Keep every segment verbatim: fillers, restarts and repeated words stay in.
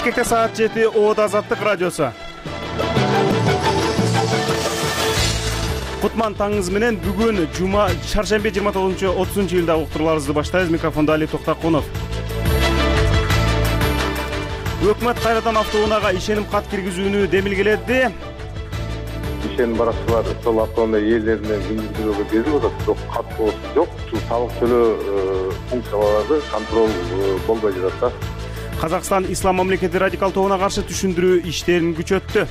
Бишкекте саат жети, Оот Азаттык радиосу. Кутман таңыңыз менен бүгүн жума чаршембе жыйырма тогузунчу отузунчу июлда уктурууларыбызды баштайбыз. Микрофондо Али Токтакунов. Өкмөт кайрадан автоунаага ишеним кат киргизүүнү демилгеледи. Ишеним баракчылар сол автоунаа ээлеринен күндүзгү берип атат, бирок кат болсо жок. Ушул салык төлөө функциялары контроль болбой жатат да. Казакстан Ислам мамлекети радикал тобуна каршы түшүндүрүү иштерин күчөттү.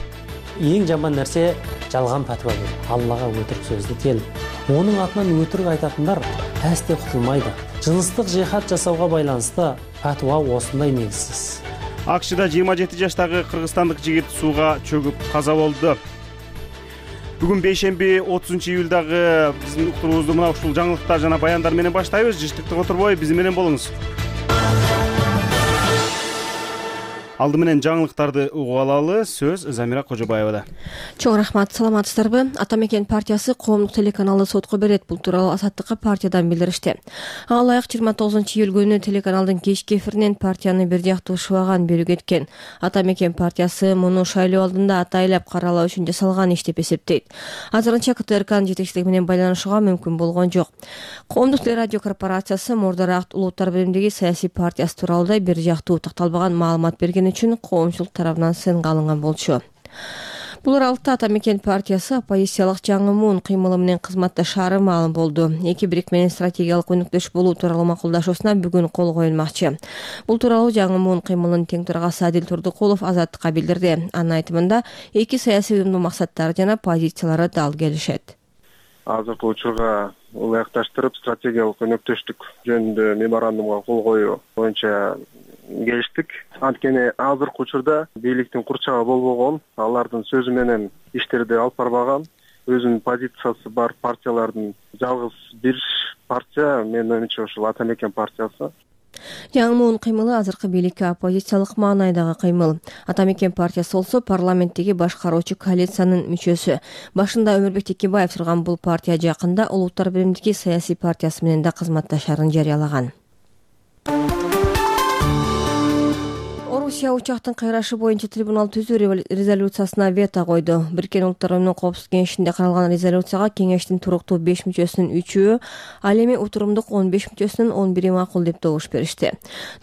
Эң жаман нерсе жалган патва берип, Аллага өтүрүк сөздү келип, онун атынан өтүрүк айтатындар әсте кутулмайды. Жыныстык жихад жасауга байланыштуу патва осундай негизсиз. АКШда жыйырма жети жаштагы кыргызстандык жигит сууга чөгүп каза болду. Бүгүн бейшемби отузунчу июлдагы биздин уктуруубузду мына ушул жаңылыктар жана баяндар менен баштайбыз. Жыштыктык отурбой биз менен болуңуз. Алды менен жаңылыктарды угуп алалы. Сөз Замира Кожобаевада. Чоң рахмат, саламатсыздарбы? Ата Мекен партиясы коомдук телеканалды сотко берет. Бул тууралуу Азаттыкка партиядан билдиришти. Ага ылайык жыйырма тогузунчу июль күнү телеканалдын кечки эфиринен партияны бир жактуу шыбаган берүү кеткен. Ата Мекен партиясы муну шайлоо алдында атайлап каралоо үчүн жасалган иш деп эсептейт. Азырынча КТРКнын жетекчилиги менен байланышууга мүмкүн болгон жок. Коомдук телерадио корпорациясы мурдараак Улуттар биримдиги саясий партиясы тууралуу бир жактуу такталбаган маалымат берген үчүн коомчулук тарабынан сынга алынган болчу. Бул аралыкта Ата Мекен партиясы оппозициялык жаңы муун кыймылы менен кызматташаары маалым болду. Эки бирик менен стратегиялык өнөктөш болуу тууралуу макулдашуусуна бүгүн кол коюлмакчы. Бул тууралуу жаңы муун кыймылынын тең төрагасы Адил Турдукулов Азаттыкка билдирди. Анын айтымында эки саясий уюмдун максаттары жана позициялары дал келишет. Азыркы учурга ылайыкташтырып стратегиялык өнөктөштүк жөнүндө меморандумга кол коюу боюнча келиштик. Анткени азыркы учурда бийликтин курчагы болбогон, алардын сөзү менен иштерди алып барбаган, өзүнүн позициясы бар партиялардын жалгыз бир партия, менин оюмча ушул Ата Мекен партиясы. Жаңы муун кыймылы азыркы бийликке оппозициялык маанайдагы кыймыл. Ата Мекен партиясы болсо парламенттеги башкаруучу коалициянын мүчөсү. Башында Өмүрбек Текебаев турган бул партия жакында Улуттар биримдиги саясий партиясы менен да кызматташаарын жарыялаган. Орусия учактын кайрашы боюнча трибунал түзүү резолюциясына вето койду. Бириккен Улуттар Уюмунун Коопсуздук кеңешинде каралган резолюцияга кеңештин туруктуу беш мүчөсүнүн үчөө, ал эми утурумдук он беш мүчөсүнүн он бири макул деп добуш беришти.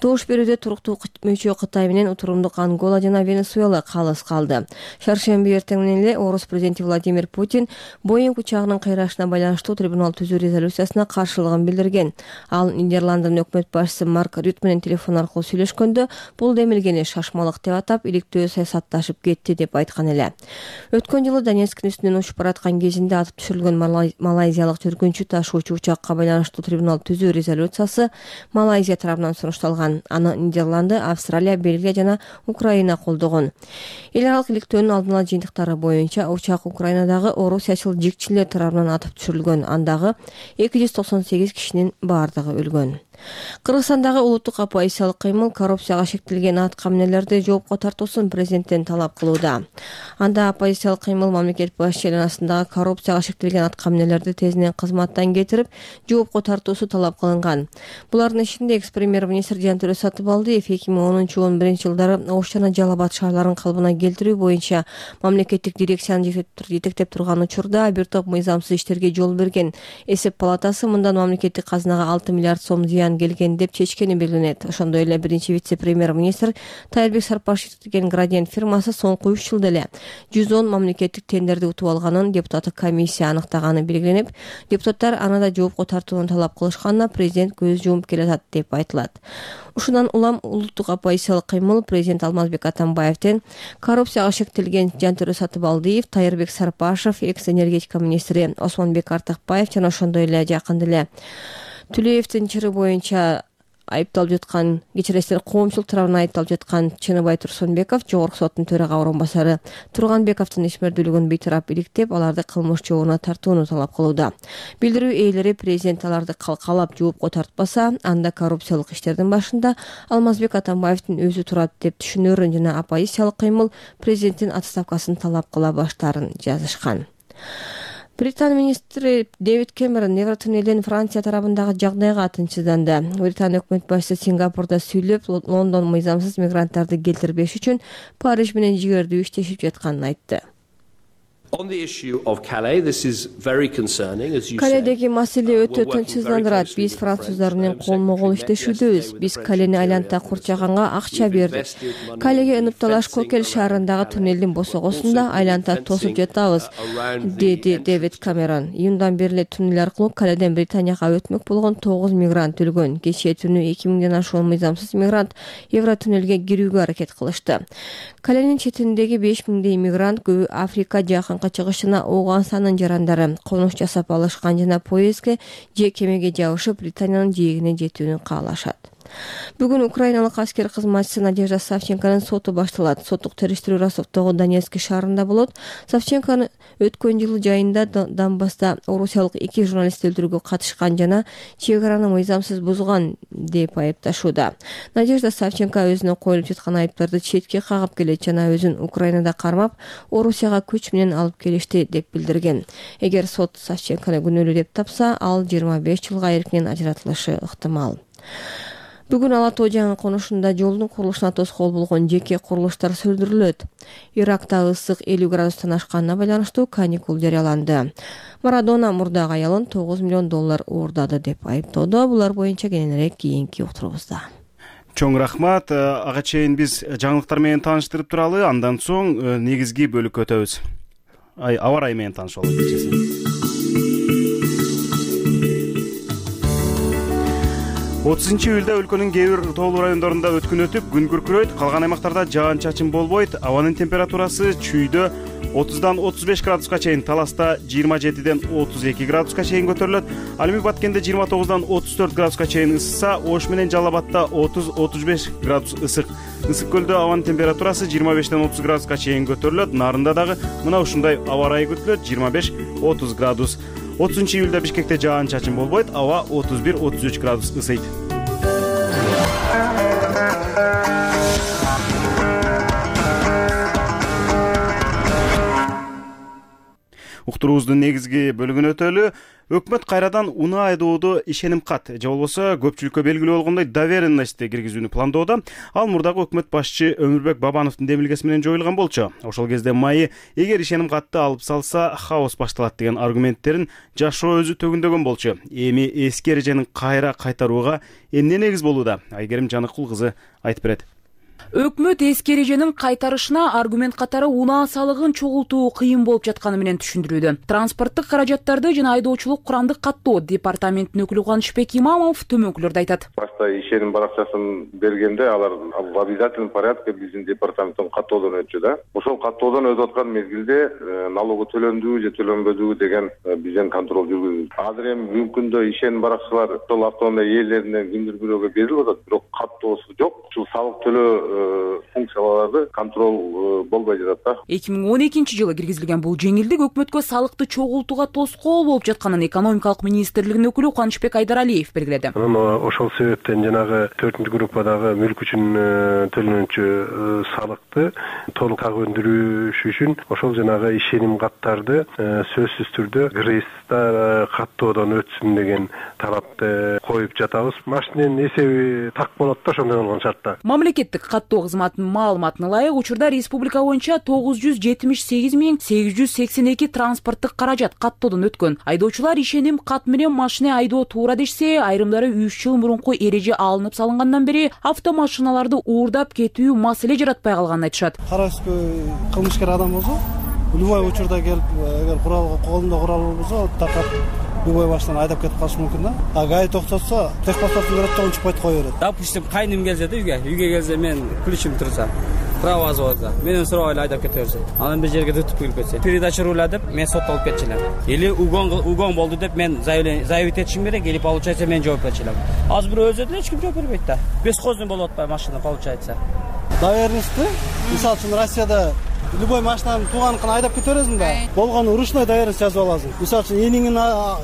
Добуш берүүдө туруктуу мүчө Кытай менен утурумдук Ангола жана Венесуэла калыс калды. Шаршемби эртең менен эле Орус президенти Владимир Путин Боинг учагынын кайрашына байланыштуу трибунал түзүү резолюциясына каршылыгын билдирген. Ал Нидерланддын өкмөт башчысы Марк Рют менен телефон аркылуу сүйлөшкөндө бул демилгени шашмалык деп атап, иликтөө саясатташып кетти деп айткан эле. Өткөн жылы Донецктин үстүнөн учуп бараткан кезинде атып түшүрүлгөн малайзиялык жүргүнчү ташуучу учакка байланыштуу трибунал түзүү резолюциясы Малайзия тарабынан сунушталган. Аны Нидерланды, Австралия, Бельгия жана Украина колдогон. Эл аралык иликтөөнүн алдын ала жыйынтыктары боюнча учак Украинадагы орусиячыл жигчилер тарабынан атып түшүрүлгөн. Андагы эки жүз токсон сегиз кишинин бардыгы өлгөн. Кыргызстандагы улуттук оппозициялык кыймыл коррупцияга шектелген аткамнелерди жоопко тартуусун президенттен талап кылууда. Анда оппозициялык кыймыл мамлекет башчы айланасындагы коррупцияга шектелген аткамнелерди тезинен кызматтан кетирип, жоопко тартуусу талап кылынган. Булардын ичинде экс-премьер-министр Жантөрө Сатыбалдиев эки миң онунчу он биринчи жылдары Ош жана Жалал Абад шаарларын калыбына келтирүү боюнча мамлекеттик дирекцияны жетектеп турган учурда бир топ мыйзамсыз иштерге жол берген. Эсеп палатасы мындан мамлекеттик казынага алты миллиард сом зыян келген деп чечкени белгиленет. Ошондой эле биринчи вице-премьер-министр Тайырбек Сарпашев деген Градиент фирмасы соңку үч жылда эле жүз он мамлекеттик тендерди утуп алганын депутаттык комиссия аныктаганы белгиленип, депутаттар аны да жоопко тартууну талап кылышканына президент көз жумуп келатат деп айтылат. Ушундан улам улуттук оппозициялык кыймыл президент Алмазбек Атамбаевден коррупцияга шектелген Жантөрө Сатыбалдиев, Тайырбек Сарпашев, экс-энергетика министри Осмонбек Артыкбаев жана ошондой эле жакында эле Түлеевдин чыры боюнча айыпталып жаткан, кечиресиздер, коомчулук тарабынан айыпталып жаткан Чыныбай Турсунбеков, Жогорку соттун төрага орун басары Турганбековдун ишмердүүлүгүн бейтарап иликтеп, аларды кылмыш жообуна тартууну талап кылууда. Билдирүү ээлери президент аларды калкалап жоопко тартпаса, анда коррупциялык иштердин башында Алмазбек Атамбаевдин өзү турат деп түшүнөрүн жана оппозициялык кыймыл президенттин отставкасын талап кыла баштаарын жазышкан. Британия министри Дэвид Кэмерон Евротуннелден Франция тарабындагы жагдайга тынчсызданды. Британия өкмөт башчысы Сингапурда сүйлөп, Лондон мыйзамсыз мигранттарды келтирбеш үчүн Париж менен жигердүү иштешип жатканын айтты. Каледеги маселе өтө тынчсыздандырат. Биз француздар менен колмо-кол иштешүүдөбүз. Биз Калени айланта курчаганга акча бердик. Калеге ынып талаш Кокел шаарындагы туннелдин босогосунда айланта тосуп жатабыз, деди Дэвид Кэмерон. Июндан бери эле туннел аркылуу Каледен Британияга өтмөк болгон тогуз мигрант өлгөн. Кечээ түнү эки миңден ашуун мыйзамсыз мигрант Евротуннелге кирүүгө аракет кылышты. Каленин четиндеги беш миңдей мигрант көбү Африка, жакын чыгышына Ооганстандын жарандары конуш жасап алышкан жана поездге же кемеге жабышып Британиянын жээгине жетүүнү каалашат. Бүгүн украиналык аскер кызматчысы Надежда Савченконун соту башталат. Соттук териштирүү Ростовдогу Донецк шаарында болот. Савченко өткөн жылы жайында Донбасста орусиялык эки журналист өлтүрүүгө катышкан жана чек араны мыйзамсыз бузган деп айыпташууда. Надежда Савченко өзүнө коюлуп жаткан айыптарды четке кагып келет жана өзүн Украинада кармап, Орусияга күч менен алып келишти деп билдирген. Эгер сот Савченкону күнөөлүү деп тапса, ал жыйырма беш жылга эркинен ажыратылышы ыктымал. Бүгүн Ала Тоо жаңы конушунда жолдун курулушуна тоскоол болгон жеке курулуштар сөндүрүлөт. Иракта ысык элүү градустан ашканына байланыштуу каникул жарыяланды. Марадона мурдагы аялын тогуз миллион доллар уурдады деп айыптоодо. Булар боюнча кененирээк кийинки уктуруубузда. Чоң рахмат. Ага чейин биз жаңылыктар менен тааныштырып туралы, андан соң негизги бөлүккө өтөбүз. Ай, аба ырайы менен таанышып алабыз. отузунчу июлда өлкөнүн кээ бир тоолуу райондорунда өткүн өтүп, күн күркүрөйт, калган аймактарда жаан-чачын болбойт. Абанын температурасы чүйдө отуздан отуз беш градуска чейин, Таласта жыйырма жетиден отуз эки градуска чейин көтөрүлөт. Ал эми Баткенде жыйырма тогуздан отуз төрт градуска чейин ысса, Ош менен Жалал Абадта отуз отуз беш градус ысык. Ысык көлдө абанын температурасы жыйырма бештен отуз градуска чейин көтөрүлөт. Нарында дагы мына ушундай аба ырайы күтүлөт, жыйырма беш отуз градус. отузунчу июлда Бишкекте жаан-чачын болбойт, аба отуз бир отуз үч градус ысыйт. Уктуруубуздун негизги бөлүгүнө өтөлү. Өкмөт кайрадан унаа айдоодо ишеним кат же болбосо көпчүлүккө белгилүү болгондой доверенностьти киргизүүнү пландоодо. Ал мурдагы өкмөт башчы Өмүрбек Бабановдун демилгеси менен жоюлган болчу. Ошол кезде майы эгер ишеним катты алып салса, хаос башталат деген аргументтерин жашоо өзү төгүндөгөн болчу. Эми эски эреженин кайра кайтарууга эмне негиз болууда? Айгерим Жаныкул кызы айтып берет. Өкмөт эски эреженин кайтарышына аргумент катары унаа салыгын чогултуу кыйын болуп жатканы менен түшүндүрүүдө. Транспорттук каражаттарды жана айдоочулук курамдык каттоо департаментинин өкүлү Кубанычбек Имамов төмөнкүлөрдү айтат. Башта ишеним баракчасын бергенде алар в обязательном порядке биздин департаменттен каттоодон өтчү да. Ошол каттоодон өтүп аткан мезгилде налогу төлөндүбү же төлөнбөдүбү деген бизден контроль жүргүзүлдү. Азыр эми бүгүнкү күндө ишеним баракчалар ошол автоунаа ээлеринен кимдир бирөөгө берилип атат, бирок каттоосу жок. Ушул салык төлөө функцияларды контроль болбой жатат да. эки миң он экинчи жылы киргизилген бул жеңилдик өкмөткө салыкты чогултууга тоскоол болуп жатканын экономикалык министрлигинин өкүлү Кубанычбек Айдаралиев белгиледи. Ошол себептен жанагы төртүнчү группадагы мүлк үчүн төлөнүүчү салыкты толук так өндүрүш үчүн ошол жанагы ишеним каттарды сөзсүз түрдө кыргызда каттоодон өтсүн деген талапты коюп жатабыз. Машиненин эсеби так болот да ошондой болгон шартта. Мамлекеттик каттоо кызматынын маалыматына ылайык, учурда республика боюнча тогуз жүз жетимиш сегиз миң сегиз жүз сексен эки транспорттук каражат каттоодон өткөн. Айдоочулар ишеним кат менен машина айдоо туура дешсе, айрымдары үч жыл мурунку эреже алынып салынгандан бери автомашиналарды уурдап кетүү маселе жаратпай калганын айтышат. Карабызбы, кылмышкер адам болсо, любой учурда келип, эгер курал колунда курал болсо, такап любой машинаны айдап кетип калышы мүмкүн да. А гай токтотсо, техпаспортун көрөт да, унчукпай кое берет. Допустим, кайным келсе да үйгө, үйгө келсе мен ключим турса, права болсо, менен сурабай эле айдап кете берсе. Анан бир жерге түтүп келип кетсе, передача руля деп мен соттолуп кетчүлөр. Или угон угон болду деп мен заявить этишим керек, или получается мен жооп берчүлөр. Азыр бирөө өзү деле эч ким жооп бербейт да. Бесхозный болуп атпайбы машина получается. Доверенностьти, мисалы үчүн Россияда любой машинаны тууганыкына айдап кете бересиң да. Болгону ручной доверенность жазып аласың. Мисалы үчүн эниңин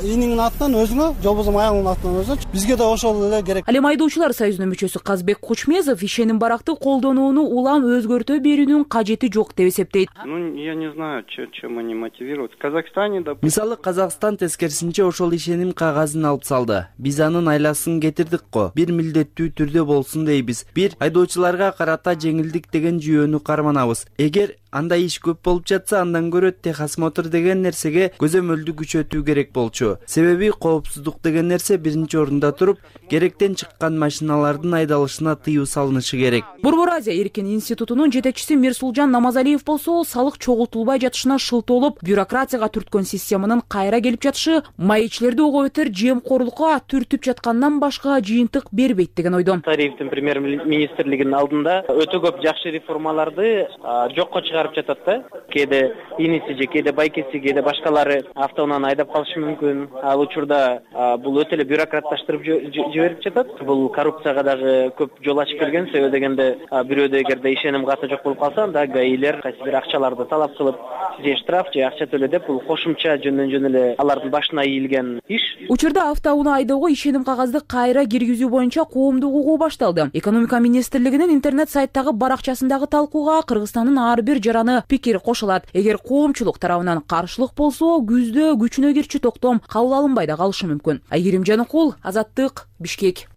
эниңин атынан өзүңө, же болбосо аялыңдын атынан өзүңө. Бизге да ошол эле керек. Ал эми айдоочулар союзунун мүчөсү Казбек Кучмезов ишеним баракты колдонууну улам өзгөртө берүүнүн кажети жок деп эсептейт. Ну, я не знаю, чем они мотивируют. В Казахстане, да. Мисалы, Казакстан тескерисинче ошол ишеним кагазын алып салды. Биз анын айласын кетирдик го. Бир милдеттүү түрдө болсун дейбиз. Бир айдоочуларга карата жеңилдик деген жүйөнү карманабыз. Эгер андай иш көп болуп жатса, андан көрө техосмотр деген нерсеге көзөмөлдү күчөтүү керек болчу. Себеби коопсуздук деген нерсе биринчи орунда туруп, керектен чыккан машиналардын айдалышына тыюу салынышы керек. Борбор Азия эркин институтунун жетекчиси Мирсулжан Намазалиев болсо, салык чогултулбай жатышына шылтоолоп, бюрократияга түрткөн системанын кайра келип жатышы маекчилерди ого бетер жемкорлукка түртүп жаткандан башка жыйынтык бербейт деген ойдон. Тарифтин премьер-министрлигинин алдында өтө көп жакшы реформаларды жокко чыгарып жатат да. Кээде иниси же кээде байкеси, кээде башкалары автоунан айдап калышы мүмкүн. Ал учурда бул өтө эле бюрократташтырып жиберип жатат. Бул коррупцияга дагы көп жол ачып келген. Себеби дегенде бирөөдө эгерде ишеним каты жок болуп калса, анда гаилер кайсы бир акчаларды талап кылып, же штраф же акча төлө деп бул кошумча жөндөн жөн эле алардын башына ийилген иш. Учурда автоунаа айдоого ишеним кагазды кайра киргизүү боюнча коомдук угуу башталды. Экономика министрлигинин интернет сайттагы баракчасындагы талкууга Кыргызстандын ар бир жараны пикир кошулат. Эгер коомчулук тарабынан каршылык болсо, күздө күчүнө кирчү токтом кабыл алынбай да калышы мүмкүн. Айгерим Жаныкул, Азаттык, Бишкек.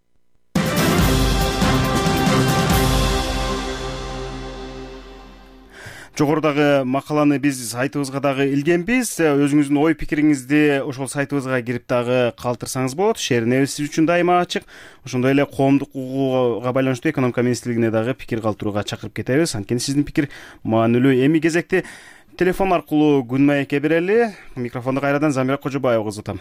Жогорудагы макаланы биз сайтыбызга дагы илгенбиз. Өзүңүздүн ой пикириңизди ошол сайтыбызга кирип дагы калтырсаңыз болот. Шеринебиз сиз үчүн дайыма ачык. Ошондой эле коомдук угууга байланыштуу экономика министрлигине дагы пикир калтырууга чакырып кетебиз. Анткени сиздин пикир маанилүү. Эми кезекти телефон аркылуу күн маекке берели. Микрофонду кайрадан Замира Кожобаева узатам.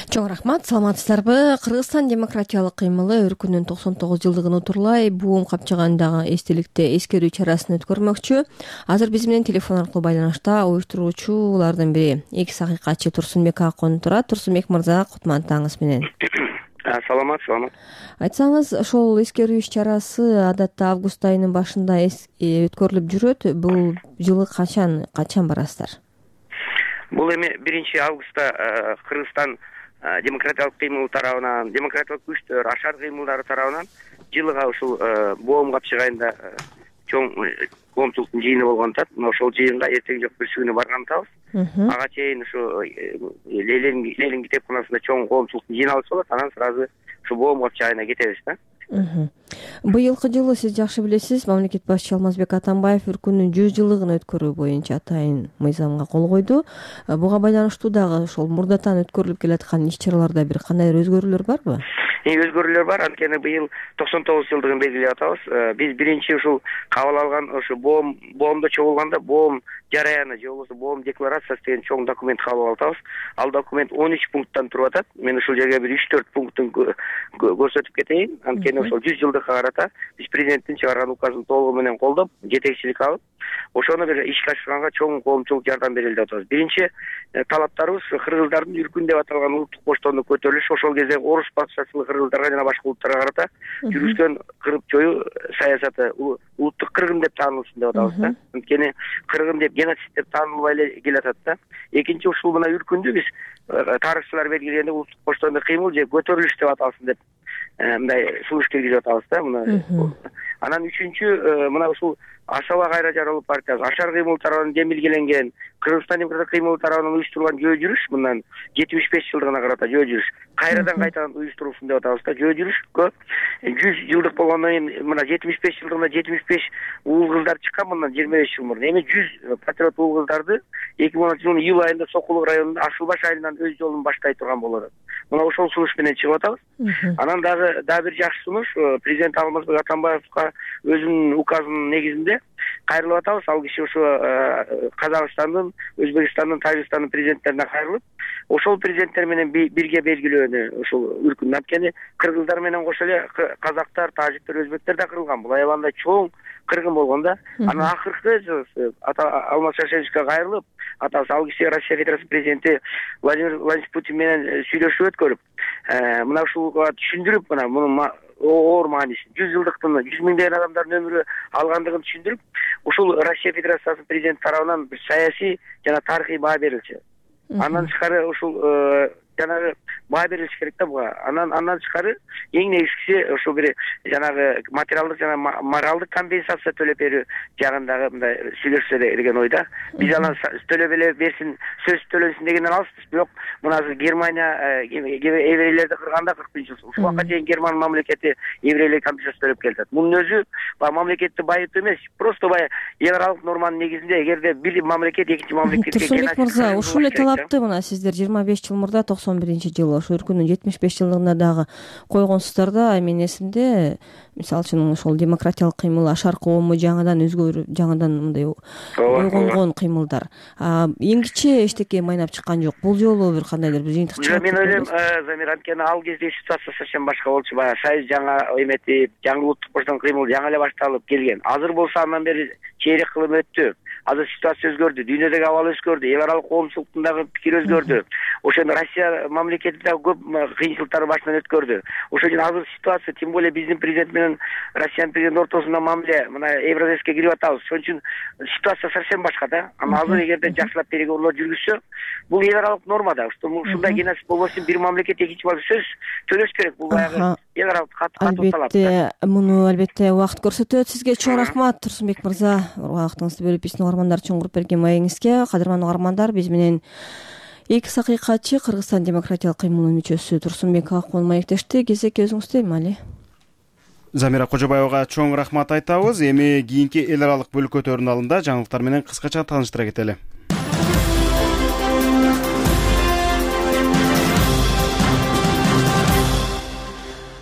Чоң рахмат, саламатсыздарбы? Кыргызстан демократиялык кыймылы өркүнүн токсон тогуз жылдыгын утурлай буум капчыгандагы эстеликте эскерүү чарасын өткөрмөкчү. Азыр биз менен телефон аркылуу байланышта уюштуруучулардын бири экс акыйкатчы Турсунбек Акон турат. Турсунбек мырза, кутмандатыңыз менен. Саламат, саламат. Айтсаңыз, ошол эскерүү иш-чарасы адатта август айынын башында өткөрүлүп жүрөт. Бул жылы качан качан барасыздар? Бул эми биринчи августта Кыргызстан демократиялык кыймыл тарабынан, демократиялык күчтөр, ашар кыймылдары тарабынан жылыга ушул боом капчыгайында чоң коомчулуктун жыйыны болгон атат. Мына ошол жыйынга эртең жок бүрсүгүнө барган атабыз. Ага чейин ушу Ленин китепканасында чоң коомчулуктун жыйналышы болот. Анан сразу ушу боом капчыгайына кетебиз да. Быйылкы жылы сиз жакшы билесиз, мамлекет башчысы Алмазбек Атамбаев өлкөнүн жүз жылдыгын өткөрүү боюнча атайын мыйзамга кол койду. Буга байланыштуу дагы ошол мурдатан өткөрүлүп келаткан иш-чараларда бир кандай өзгөрүүлөр барбы? Өзгөрүүлөр бар. Анткени быйыл токсон тогуз жылдыгын белгилеп атабыз. Биз биринчи ушул кабыл алган ошо боом боомдо чогулганда боом жараяны же болбосо боом декларациясы деген чоң документ кабыл алып атабыз. Ал документ он үч пункттан туруп атат. Мен ушул жерге бир үч төрт пунктун көрсөтүп кетейин. Анткени ошол жүз жылдыкка карата биз президенттин чыгарган указын толугу менен колдоп, жетекчилик алып, ошону бир ишке ашырганга чоң коомчулук жардам берели деп атабыз. Биринчи талаптарыбыз кыргыздардын үркүн деп аталган улуттук боштондук көтөрүлүш, ошол кезде орус патшачылык кыргыздарга жана башка улуттарга карата жүргүзгөн кырып жоюу саясаты улуттук кыргын деп таанылсын деп атабыз да. Анткени кыргын деп геноцид деп таанылбай эле келатат да. Экинчи ушул мына үркүндү биз тарыхчылар белгилегенде улуттук боштондук кыймыл же көтөрүлүш деп аталсын деп мындай сунуш киргизип атабыз да. Мына анан үчүнчү мына ушул Ашаба кайра жаралуу партиясы ашар кыймыл тарабынан демилгеленген Кыргызстан демократиялык кыймыл тарабынан уюштурулган жөө жүрүш, мындан жетимиш беш жылдыгына карата жөө жүрүш кайрадан кайтадан уюштурулсын деп атабыз да. Жөө жүрүшкө жүз жылдык болгондон кийин мына жетимиш беш жылдыгында жетимиш беш уул кыздар чыккан мындан жыйырма беш жыл мурун. Эми жүз патриот уул кыздарды эки миң онунчу жылдын июль айында Сокулук районунда Ашылбаш айылынан өз жолун баштай турган болот. Мына ошол сунуш менен чыгып атабыз. Анан дагы дагы бир жакшы сунуш президент Алмазбек Атамбаевга өзүнүн указынын негизинде кайрылып атабыз. Ал киши ошо Казакстандын, Өзбекстандын, Тажикстандын президенттерине кайрылып, ошол президенттер менен бирге белгилөөнү ушул үркүн. Анткени кыргыздар менен кошо эле казактар, тажиктер, өзбектер да кырылган. Бул аябандай чоң кыргын болгон да. Анан акыркы Алмаз Шаршеновичке кайрылып, атабыз ал киши Россия Федерациясынын президенти Владимир Владимирович Путин менен сүйлөшүү өткөрүп, мына ушуга түшүндүрүп, мына муну оор маанисин, жүз жылдыктын жүз миңдеген адамдардын өмүрү алгандыгын түшүндүрүп, ушул Россия Федерациясынын президенти тарабынан бир саясий жана тарыхый баа берилчү. Андан тышкары ушул жанагы баа берилиш керек да буга. Анан андан тышкары эң негизгиси ошо бир жанагы материалдык жана моралдык компенсация төлөп берүү жагындагы мындай сүйлөшсө деген ойда. Биз анан төлөп эле берсин, сөз төлөнсүн дегенден алыспыз, бирок мына азыр Германия еврейлерди кырганда кырк биринчи жыл ушул убакка чейин Герман мамлекети еврейлерге компенсация төлөп келатат. Мунун өзү баягы мамлекетти байытуу эмес, просто баягы эл аралык норманын негизинде эгерде бир мамлекет экинчи мамлекетке Турсунбек мырза, ушул эле талапты мына сиздер жыйырма беш жыл мурда токсон биринчи жылы ошо өлкөнүн жетимиш беш жылдыгына дагы койгонсуздар да. Менин эсимде, мисалы үчүн ошол демократиялык кыймыл ашар коому жаңыдан өзгөрүп, жаңыдан мындай ойгонгон кыймылдар. Эң кичи эчтеке майнап чыккан жок. Бул жолу бир кандайдыр бир жыйынтык чыгат. Мен ойлойм, Замир, анткени ал кезде ситуация совсем башка болчу. Баягы союз жаңа эметип, жаңы улуттук боштон кыймыл жаңы эле башталып келген. Азыр болсо андан бери чейрек кылым өттү. Азыр ситуация өзгөрдү, дүйнөдөгү абал өзгөрдү, эл аралык коомчулуктун дагы пикири өзгөрдү. Ошондо Россия мамлекети дагы көп кыйынчылыктар башынан өткөрдү. Ошон үчүн азыр ситуация, тем более биздин президент менен Россиянын президенти ортосунда мамиле мына Евросоюзга кирип атабыз. Ошон үчүн ситуация совсем башка да. Аны азыр эгерде жакшылап переговорлор жүргүзсө, бул эл аралык норма да. Ушундай геноцид болбосун, бир мамлекет экинчи мамлекет сөз төлөш керек. Бул баягы эл аралык катуу талап. Албетте, муну албетте убакыт көрсөтөт. Сизге чоң рахмат, Турсунбек мырза. Убактыңызды бөлүп биздин угармандар үчүн куруп берген маегиңизге. Кадырман угармандар, биз менен эки сакыйкатчы Кыргызстан демократиялык кыймылынын мүчөсү Турсунбек Акмол маектешти. Кезекке өзүңүздү эмали. Замира Кожобаевага чоң рахмат айтабыз. Эми кийинки эл аралык бөлүккө алдында жаңылыктар менен кыскача тааныштыра кетели.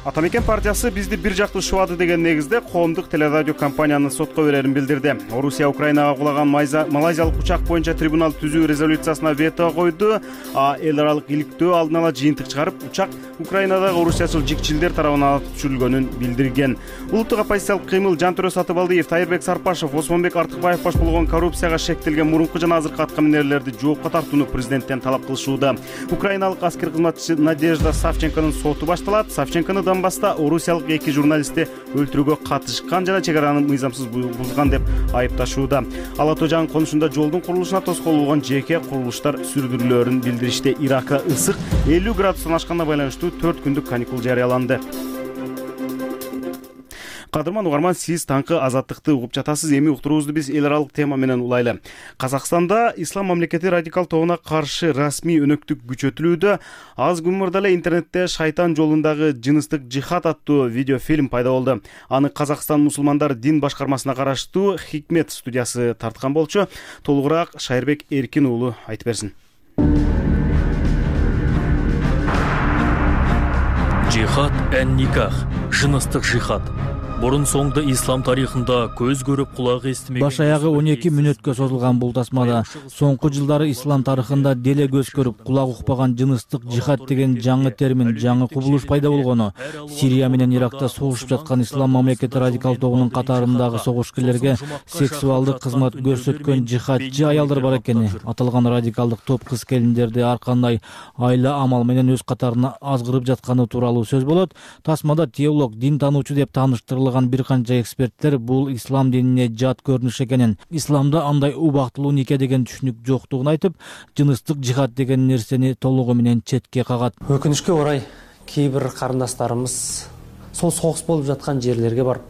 Атамекен партиясы бизди бир жактуу шубады деген негизде коомдук телерадио компаниянын сотко берерин билдирди. Орусия Украинага кулаган малайзиялык учак боюнча трибунал түзүү резолюциясына вето койду, а эл аралык иликтөө алдын ала жыйынтык чыгарып, учак Украинадагы орусиячыл жикчилдер тарабынан атып түшүрүлгөнүн билдирген. Улуттук оппозициялык кыймыл Жантөрө Сатыбалдиев, Тайырбек Сарпашев, Осмонбек Артыкбаев баш болгон коррупцияга шектелген мурунку жана азыркы аткаминерлерди жоопко тартууну президенттен талап кылышууда. Украиналык аскер кызматчысы Надежда Савченконун соту башталат. Савченкону Донбасста орусиялык эки журналистти өлтүрүүгө катышкан жана чек араны мыйзамсыз бузган деп айыпташууда. Ала Тоо Жаң конушунда жолдун курулушуна тоскоол болгон жеке курулуштар сүрдүрүлөөрүн билдиришти. Иракка ысык элүү градустан ашканына байланыштуу төрт күндүк каникул жарыяланды. Кадырман угарман, сиз таңкы азаттыкты угуп жатасыз. Эми уктуруубузду биз эл аралык тема менен улайлы. Казакстанда ислам мамлекети радикал тобуна каршы расмий өнөктүк күчөтүлүүдө. Аз күн мурда эле интернетте шайтан жолундагы жыныстык жихад аттуу видеофильм пайда болду. Аны Казакстан мусулмандар дин башкармасына караштуу Хикмет студиясы тарткан болчу. Толугураак Шайырбек Эркин уулу айтып берсин. Жихад эн никах, жыныстык жихад. Бурун соңду ислам тарыхында көз көрүп кулак эстемеген. Баш аягы он эки мүнөткө созулган бул тасмада соңку жылдары ислам тарыхында деле көз көрүп кулак укпаган жыныстык жихад деген жаңы термин, жаңы кубулуш пайда болгону. Сирия менен Иракта согушуп жаткан ислам мамлекети радикал тобунун катарындагы согушкерлерге сексуалдык кызмат көрсөткөн жихадчы аялдар бар экени. Аталган радикалдык топ кыз келиндерди ар кандай айла амал менен өз катарына азгырып жатканы тууралуу сөз болот. Тасмада теолог, дин таануучу деп тааныштырылган бир канча эксперттер бул ислам динине жат көрүнүш экенин, исламда андай убактылуу нике деген түшүнүк жоктугун айтып, жыныстык жихад деген нерсени толугу менен четке кагат. Өкүнүчкө орай кээ бир карындаштарыбыз сол согуш болуп жаткан жерлерге барып,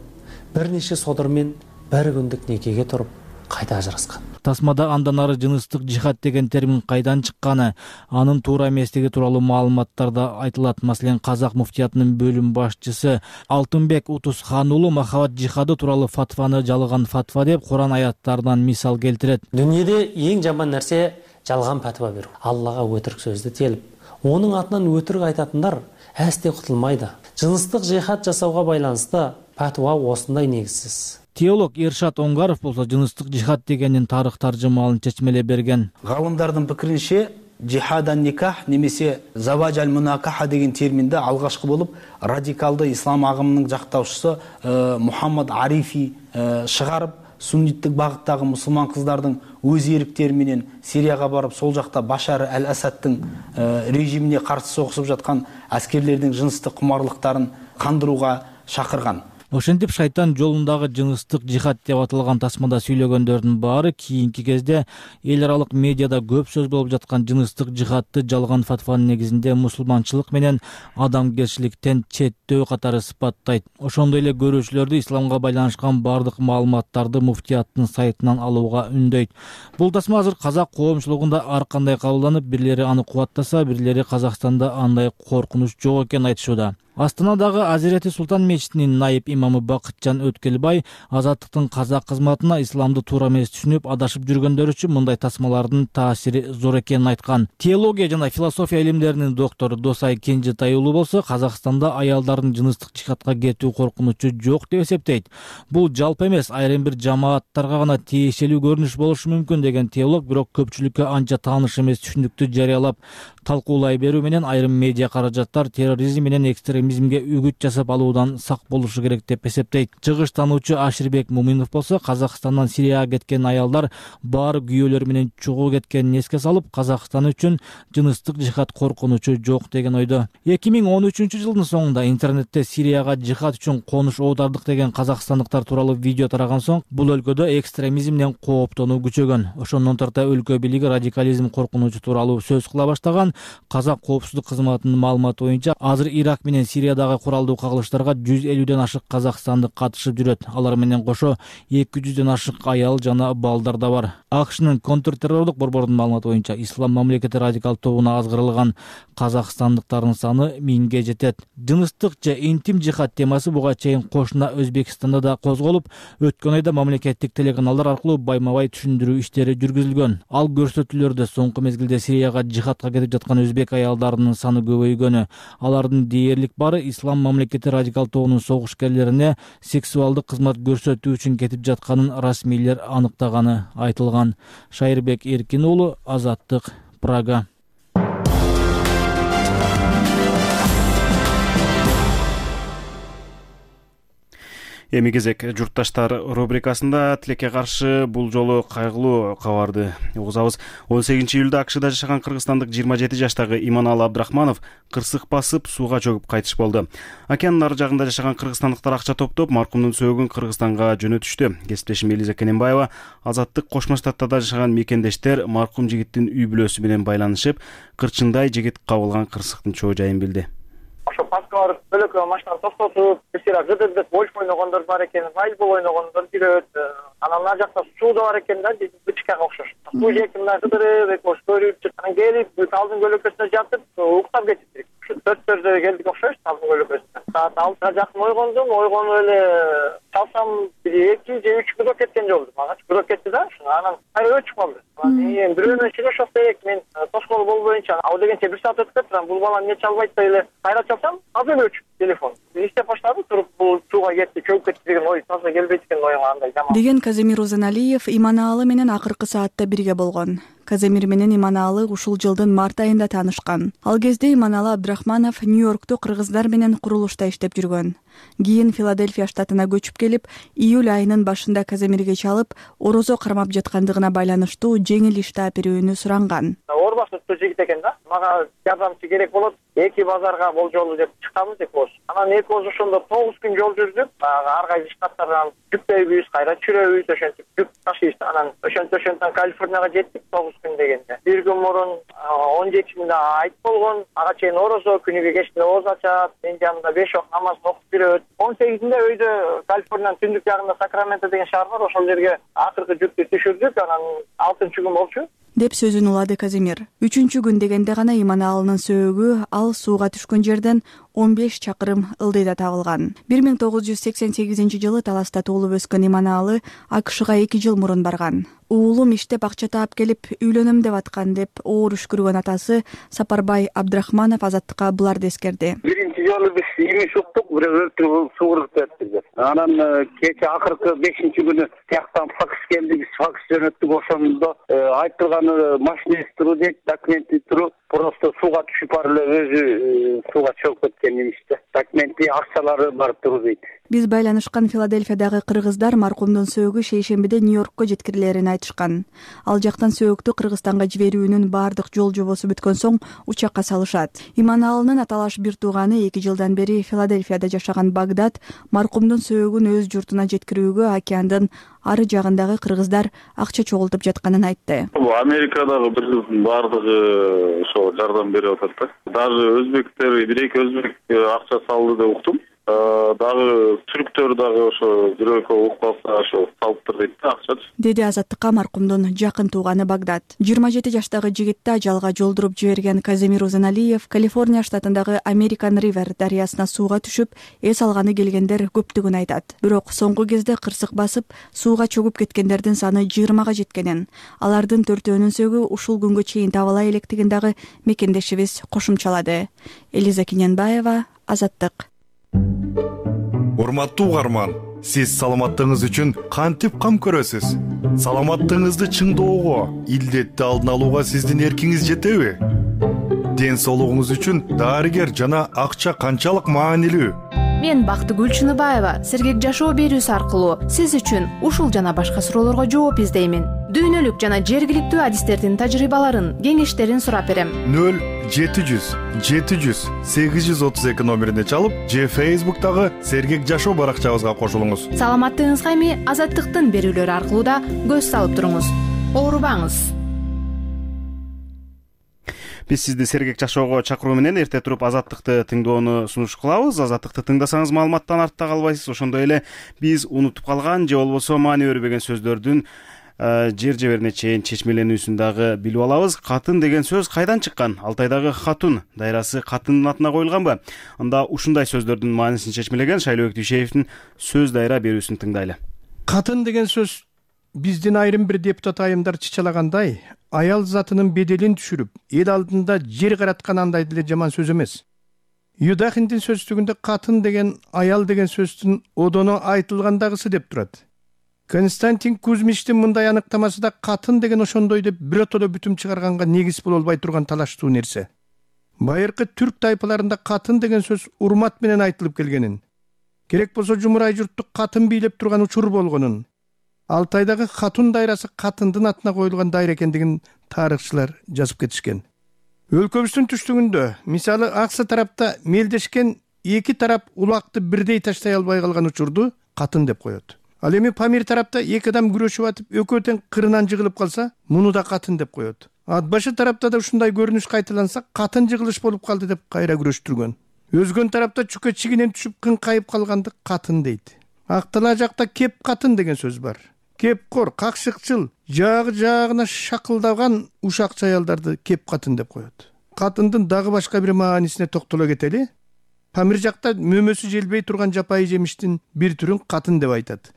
бир нече содыр менен бир күндүк никеге туруп кайта ажыраскан. Тасмада андан ары жыныстык жихад деген термин кайдан чыкканы, анын туура эместиги тууралуу маалыматтарда айтылат. Маселен, Казак муфтиятынын бөлүм башчысы Алтынбек Утусхан уулу махабат жихады тууралуу фатваны жалган фатва деп Куран аяттарынан мисал келтирет. Дүйнөдө эң жаман нерсе жалган фатва берүү. Аллага өтүрүк сөздү телип, онун атынан өтүрүк айтатындар әсте кутулмайда. Жыныстык жихад жасауга байланыштуу фатва осундай негизсиз. Теолог Эршат Оңгаров болсо жыныстык жихад дегенин тарых таржымалын чечмелеп берген. Галымдардын пикиринче, жихадан никах немесе заважаль мунакаха деген терминде алгашкы болуп радикалды ислам агымынын жактаушусу Мухаммад Арифи чыгарып, сунниттик багыттагы мусулман кыздардын өз эриктери менен Сирияга барып, сол жакта Башар аль-Асадтын режимине каршы согушуп жаткан аскерлердин жыныстык кумарлыктарын кандырууга шакырган. Ошентип шайтан жолундагы жыныстык жихад деп аталган тасмада сүйлөгөндөрдүн баары кийинки кезде эл аралык медиада көп сөз болуп жаткан жыныстык жихадты жалган фатванын негизинде мусулманчылык менен адамгерчиликтен четтөө катары сыпаттайт. Ошондой эле көрүүчүлөрдү исламга байланышкан бардык маалыматтарды муфтияттын сайтынан алууга үндөйт. Бул тасма азыр казак коомчулугунда ар кандай кабылданып, бирлери аны кубаттаса, бирлери Казакстанда андай коркунуч жок экенин айтышууда. Астанадагы Азирети Султан мечитинин найып имамы Бакытжан Өткелбай азаттыктын казак кызматына исламды туура эмес түшүнүп адашып жүргөндөр үчүн мындай тасмалардын таасири зор экенин айткан. Теология жана философия илимдеринин доктору Досай Кенжетай уулу болсо Казакстанда аялдардын жыныстык жихадка кетүү коркунучу жок деп эсептейт. Бул жалпы эмес, айрым бир жамааттарга гана тиешелүү көрүнүш болушу мүмкүн деген теолог, бирок көпчүлүккө анча тааныш эмес түшүндүктү жарыялап талкуулай берүү менен айрым медиа каражаттар терроризм менен экстремизмге үгүт жасап алуудан сак болушу керек деп эсептейт. Чыгыштануучу Аширбек Муминов болсо Казакстандан Сирияга кеткен аялдар баары күйөөлөр менен чогуу кеткенин эске салып, Казакстан үчүн жыныстык жихад коркунучу жок деген ойдо. эки миң он үчүнчү жылдын соңунда интернетте Сирияга жихад үчүн конуш оодардык деген казакстандыктар тууралуу видео тараган соң бул өлкөдө экстремизмден кооптонуу күчөгөн. Ошондон тарта өлкө бийлиги радикализм коркунучу тууралуу сөз кыла баштаган. Казак коопсуздук кызматынын маалыматы боюнча азыр Ирак менен Сириядагы куралдуу кагылыштарга жүз элүүдөн ашык казакстандык катышып жүрөт. Алар менен кошо эки жүздөн ашык аял жана балдар да бар. АКШнын контртеррорлук борборунун маалыматы боюнча Ислам мамлекети радикал тобуна азгырылган казакстандыктардын саны миңге жетет. Жыныстык же интим жихад темасы буга чейин кошуна Өзбекстанда да козголуп, өткөн айда мамлекеттик телеканалдар аркылуу байма-бай түшүндүрүү иштери жүргүзүлгөн. Ал көрсөтүүлөрдө соңку мезгилде Сирияга жихадка кетип жаткан өзбек аялдарынын саны көбөйгөнү, алардын дээрлик бары Ислам мамлекети радикал тобунун согушкерлерине сексуалдык кызмат көрсөтүү үчүн кетип жатканын расмийлер аныктаганы айтылган. Шайырбек Эркин уулу, Азаттык, Прага. Эми кезек журтташтар рубрикасында тилекке каршы бул жолу кайгылуу кабарды угузабыз. он сегизинчи июлда АКШда жашаган кыргызстандык жыйырма жети жаштагы Иманалы Абдрахманов кырсык басып сууга чөгүп кайтыш болду. Океандын ары жагында жашаган кыргызстандыктар акча топтоп, маркумдун сөөгүн Кыргызстанга жөнөтүштү. Кесиптешим Элиза Кененбаева Азаттык Кошмо Штаттарда жашаган мекендештер маркум жигиттин үй бүлөсү менен байланышып, кырчындай жигит кабылган кырсыктын чоо жайын билди. Ошо паскалар бөлөккө машинаны токтотуп, бисира гыдырдып гольф ойногондор бар экен, волейбол ойногондор жүрөт. Анан ар жакта суу да бар экен да, бычкага окшош. Суу жээп мындай гыдырып, эки көрүп, анан келип, талдын көлөкөсүнө жатып, уктап кетиптир. Төрттөрдө келдик окшош, талдын көлөкөсүнө. Саат алтыга жакын ойгондум, ойгонуп эле чалсам бир эки же үч гүдөк кеткен жолду. Мага гүдөк кетти да, анан кайра өчүп калды. Анан бирөөнөн сүйлөшөк керек, мен тоскоол болбоюнча, ал дегенче бир саат өтүп кетти, бул бала эмне чалбайт деп эле кайра чалсам, азыр өчүп телефон. Иштеп баштадым, туруп бул сууга кетти, чөгүп кетти деген ой таза келбейт экен оюңа андай жаман. Деген Каземир Узаналиев Иманалы менен акыркы саатта бирге болгон. Каземир менен Иманалы ушул жылдын март айында таанышкан. Ал кезде Иманалы Абдрахманов Нью-Йоркто кыргыздар менен курулушта иштеп жүргөн. Кийин Филадельфия штатына көчүп келип, июль айынын башында Каземирге чалып, орозо кармап жаткандыгына байланыштуу жеңил иш тааперүүнү суранган. Орбасыттуу жигит экен да. Мага жардамчы керек болот. Эки базарга болжолу деп чыкканбыз экөөбүз. Анан экөөбүз ошондо тогуз күн жол жүрдүк. Ар кайсы штаттардан жүктөйбүз, кайра чүрөбүз, ошентип жүк ташыйбыз. Анан ошентип ошентип Калифорнияга жеттик тогуз күн дегенде. Бир күн мурун он жетисинде айт болгон, ага чейин орозо, күнүгө кечте ооз ачат, мен жанымда беш окуп намазын окуп жүрөт. он сегизинде өйдө Калифорниянын түндүк жагында Сакраменто деген шаар бар, ошол жерге акыркы жүктү түшүрдүк. Анан алтынчы күн болчу деп сөзүн улады Каземир. Үчүнчү күн дегенде гана Иманалынын сөөгү ал сууга түшкөн жерден он беш чакырым ылдыйда табылган. бир миң тогуз жүз сексен сегизинчи жылы Таласта туулуп өскөн Иманалы АКШга эки жыл мурун барган. Уулум иштеп акча таап келип үйлөнөм деп аткан деп оор үшкүргөн атасы Сапарбай Абдрахманов Азаттыкка буларды эскерди. Биринчи жолу биз имиш уктук, бирөө өлтүрүп сууруп кетти. Анан кече акыркы бешинчи күнү тияктан факс келди, биз факс жөнөттүк. Ошондо айтылган машинест туру дейт, документи туру. просто сууга түшүп барып эле өзү сууга чөгүп кеткен имиш да. Документи акчалары барып туруп дейт. Биз байланышкан Филадельфиядагы кыргыздар маркумдун сөөгү шейшембиде Нью-Йоркко жеткирилерин айтышкан. Ал жактан сөөгүктү Кыргызстанга жиберүүнүн баардык жол жобосу бүткөн соң учакка салышат. Иманалынын аталаш бир тууганы эки жылдан бери Филадельфияда жашаган Багдат маркумдун сөөгүн өз журтуна жеткирүүгө океандын ары жагындагы кыргыздар акча чогултуп жатканын айтты. Америкадагы бир кыздын баардыгы ошо жардам берип атат да. Даже өзбектер, бир эки өзбек акча салды деп уктум. Дагы түрктөр дагы ошо бир экөө угуп калса ошо салыптыр дейт да акчачы. Деди Азаттыкка маркумдун жакын тууганы Багдат. жыйырма жети жаштагы жигитти ажалга жолдуруп жиберген Казимир Узаналиев Калифорния штатындагы American River дарыясына сууга түшүп, эс алганы келгендер көптүгүн айтат. Бирок соңку кезде кырсык басып, сууга чөгүп кеткендердин саны жыйырмага жеткенин, алардын төртөөнүн сөөгү ушул күнгө чейин табыла электигин дагы мекендешибиз кошумчалады. Элиза Киненбаева, Азаттык. Урматтуу угарман, сиз саламаттыгыңыз үчүн кантип кам көрөсүз? Саламаттыгыңызды чыңдоого, илдетти алдын алууга сиздин эркиңиз жетеби? Ден соолугуңуз үчүн дарыгер жана акча канчалык маанилүү? Мен Бактыгүл Чыныбаева сергек жашоо берүүсү аркылуу сиз үчүн ушул жана башка суроолорго жооп издеймин. Дүйнөлүк жана жергиликтүү адистердин тажрыйбаларын, кеңештерин сурап берем. нөл жети жүз жети жүз сегиз жүз отуз эки номерине чалып, же Facebook'тагы сергек жашоо баракчабызга кошулуңуз. Саламаттыгыңызга эми Азаттыктын берүүлөрү аркылуу да көз салып туруңуз. Оорубаңыз. Биз сизди сергек жашоого чакыруу менен эрте туруп Азаттыкты тыңдоону сунуш кылабыз. Азаттыкты тыңдасаңыз маалыматтан артта калбайсыз. Ошондой эле биз унутуп калган же болбосо маани бербеген сөздөрдүн жер жеберине чейин чечмеленүүсүн дагы билип алабыз. Катын деген сөз кайдан чыккан? Алтайдагы Хатун дайрасы катындын атына коюлганбы? Анда ушундай сөздөрдүн маанисин чечмелеген Шайлообек Дүйшеевдин сөз дайра берүүсүн тыңдайлы. Катын деген сөз биздин айрым бир депутат айымдар чычалагандай, аял затынын беделин түшүрүп, эл алдында жер караткан андай деле жаман сөз эмес. Юдахиндин сөздүгүндө катын деген аял деген сөздүн одоно айтылгандагысы деп турат. Константин Кузьмичтин мындай аныктамасы да катын деген ошондой деп биротодо бүтүм чыгарганга негиз боло албай турган талаштуу нерсе. Байыркы түрк тайпаларында катын деген сөз урмат менен айтылып келгенин, керек болсо жумурай журтту катын бийлеп турган учур болгонун, Алтайдагы Хатун дайрасы катындын атына коюлган дайра экендигин тарыхчылар жазып кетишкен. Өлкөбүздүн түштүгүндө, мисалы Аксы тарапта мелдешкен эки тарап улакты бирдей таштай албай калган учурду катын деп коет. Ал эми Памир тарапта эки адам күрөшүп атып, экөө тең кырынан жыгылып калса, муну да катын деп коет. Атбашы тарапта да ушундай көрүнүш кайталанса, катын жыгылыш болуп калды деп кайра күрөштүргөн. Өзгөн тарапта чүкө чигинен түшүп кыңкайып калганды катын дейт. Актала жакта кеп катын деген сөз бар. Кепкор, какшыкчыл, жагы жагына шакылдаган ушакчы аялдарды кеп катын деп коет. Катындын дагы башка бир маанисине токтоло кетели. Памир жакта мөмөсү желбей турган жапайы жемиштин бир түрүн катын деп айтат.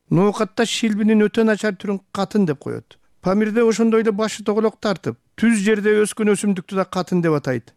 Ноокатта шилбинин өтө начар түрүн катын деп коет. Памирде ошондой эле башы тоголок тартып, түз жерде өскөн өсүмдүктү да катын деп атайт.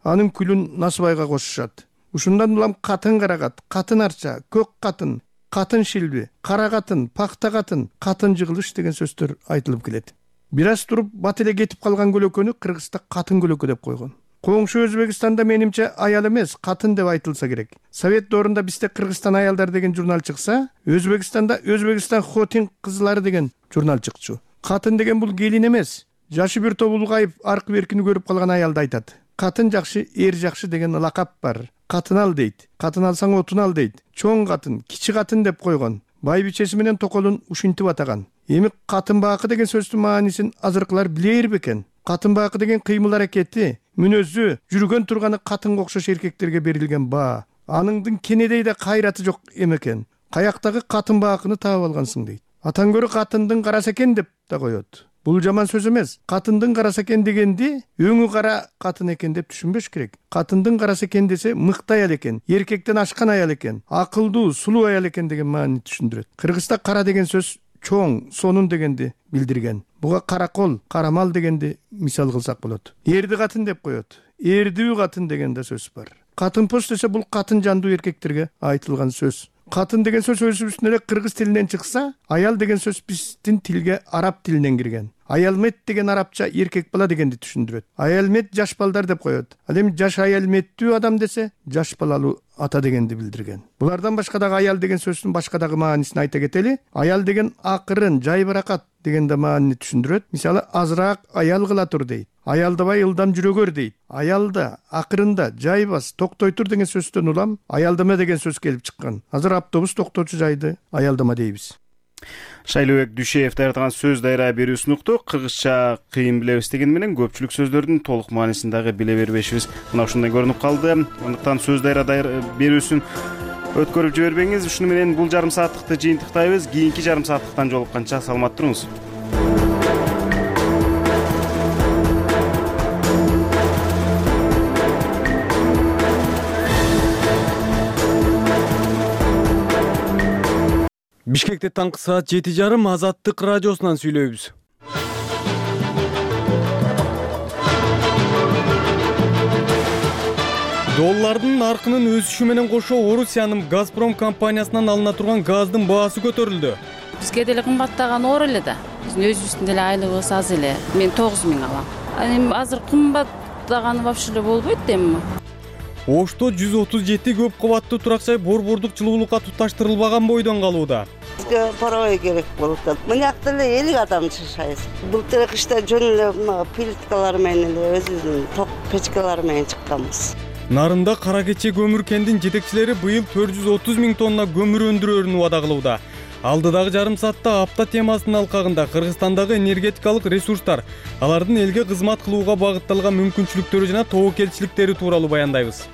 Анын күлүн насыбайга кошушат. Ушундан улам катын карагат, катын арча, көк катын, катын шилби, кара катын, пакта катын, катын жыгылыш деген сөздөр айтылып келет. Бир аз туруп бат эле кетип калган көлөкөнү Кыргызда катын көлөкө деп койгон. Коңшу Өзбекстанда менимче аял эмес, катын деп айтылса керек. Совет доорунда бизде Кыргызстан аялдар деген журнал чыкса, Өзбекстанда Өзбекстан Хотин кызлары деген журнал чыкчу. Катын деген бул келин эмес, жашы бир топ улгайып, аркы беркини көрүп калган аялды айтат. Катын жакшы, эр жакшы деген лакап бар. Катын ал дейт. Катын алсаң отун ал дейт. Чоң катын, кичи катын деп койгон. Байбичеси менен токолун ушинтип атаган. Эми катын баакы деген сөздүн маанисин азыркылар билер бекен? Катын баакы деген кыймыл аракети, мүнөзү, жүргөн турганы катынга окшош эркектерге берилген баа. Аныңдын кенедей да кайраты жок эмекен. Каяктагы катын баакыны таап алгансың дейт. Атан көрө катындын карасы экен деп да коет. Бул жаман сөз эмес. Катындын карасы экен дегенди өңү кара катын экен деп түшүнбөш керек. Катындын карасы экен десе мыкты аял экен, эркектен ашкан аял экен, акылдуу, сулуу аял экен деген маани түшүндүрөт. Кыргызда кара деген сөз чоң, сонун дегенди билдирген. Буга каракол, карамал дегенди мисал кылсак болот. Эрди катын деп коет. Эрдүү катын деген да сөз бар. Катын пост десе бул катын жандуу эркектерге айтылган сөз. Катын деген сөз өзүбүздүн эле кыргыз тилинен чыкса, аял деген сөз биздин тилге араб тилинен кирген. Аялмет деген арабча эркек бала дегенди түшүндүрөт. Аялмет жаш балдар деп коет. Ал эми жаш аялметтүү адам десе, жаш балалуу ата дегенди билдирген. Булардан башка дагы аял деген сөздүн башка дагы маанисин айта кетели. Аял деген акырын, жайбыракат деген да маанини түшүндүрөт. Мисалы, азыраак аял кыла тур дейт. Аялдабай ылдам жүрөгөр дейт. Аялда, акырында, жайбас, токтой тур деген сөздөн улам аялдама деген сөз келип чыккан. Азыр автобус токтоочу жайды аялдама дейбиз. Шайлообек Дүйшеев даярдаган сөз дайра берүүсүн уктук. Кыргызча кыйын билебиз деген менен көпчүлүк сөздөрдүн толук маанисин дагы биле бербешибиз мына ушундай көрүнүп калды. Андыктан сөз дайра берүүсүн өткөрүп жибербеңиз. Ушуну менен бул жарым сааттыкты жыйынтыктайбыз. Кийинки жарым сааттыктан жолукканча саламат туруңуз. Бишкекте таңкы саат жети жарым Азаттык радиосунан сүйлөйбүз. Доллардын наркынын өсүшү менен кошо Орусиянын Газпром компаниясынан алына турган газдын баасы көтөрүлдү. Бизге деле кымбаттаган оор эле да. Биздин өзүбүздүн деле айлыгыбыз аз эле. Мен тогуз миң алам. Эми азыр кымбаттаганы вообще эле болбойт эми. Ошто жүз отуз жети көп кабаттуу турак жай борбордук жылуулукка туташтырылбаган бойдон калууда. Бизге паровой керек болуп атат. Мынакта эле элүү адам жашайбыз. Былтыр кышта жөн эле плиткалар менен эле өзүбүздүн ток печкалары менен чыкканбыз. Нарында Кара Кече көмүр кендин жетекчилери быйыл төрт жүз отуз миң тонна көмүр өндүрөөрүн убада кылууда. Алдыдагы жарым саатта апта темасынын алкагында Кыргызстандагы энергетикалык ресурстар, алардын элге кызмат кылууга багытталган мүмкүнчүлүктөрү жана тобокелчиликтери тууралуу баяндайбыз.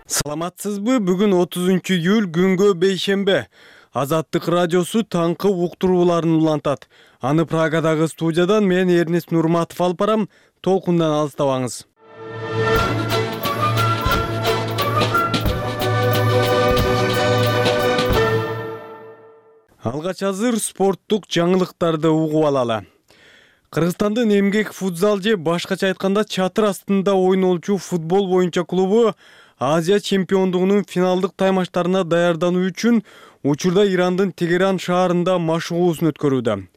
Саламатсызбы? Бүгүн отузунчу июль күнгө бейшембе. Азаттык радиосу таңкы уктурууларын улантат. Аны Прагадагы студиядан мен Эрнест Нурматов алып барам. Толкундан алыстабаңыз. Алгач азыр спорттук жаңылыктарды угуп алалы. Кыргызстандын эмгек футзал же башкача айтканда чатыр астында ойнолчу футбол боюнча клубу Азия чемпиондугунун финалдык таймаштарына даярдануу үчүн учурда Ирандын Тегеран шаарында машыгуусун өткөрүүдө.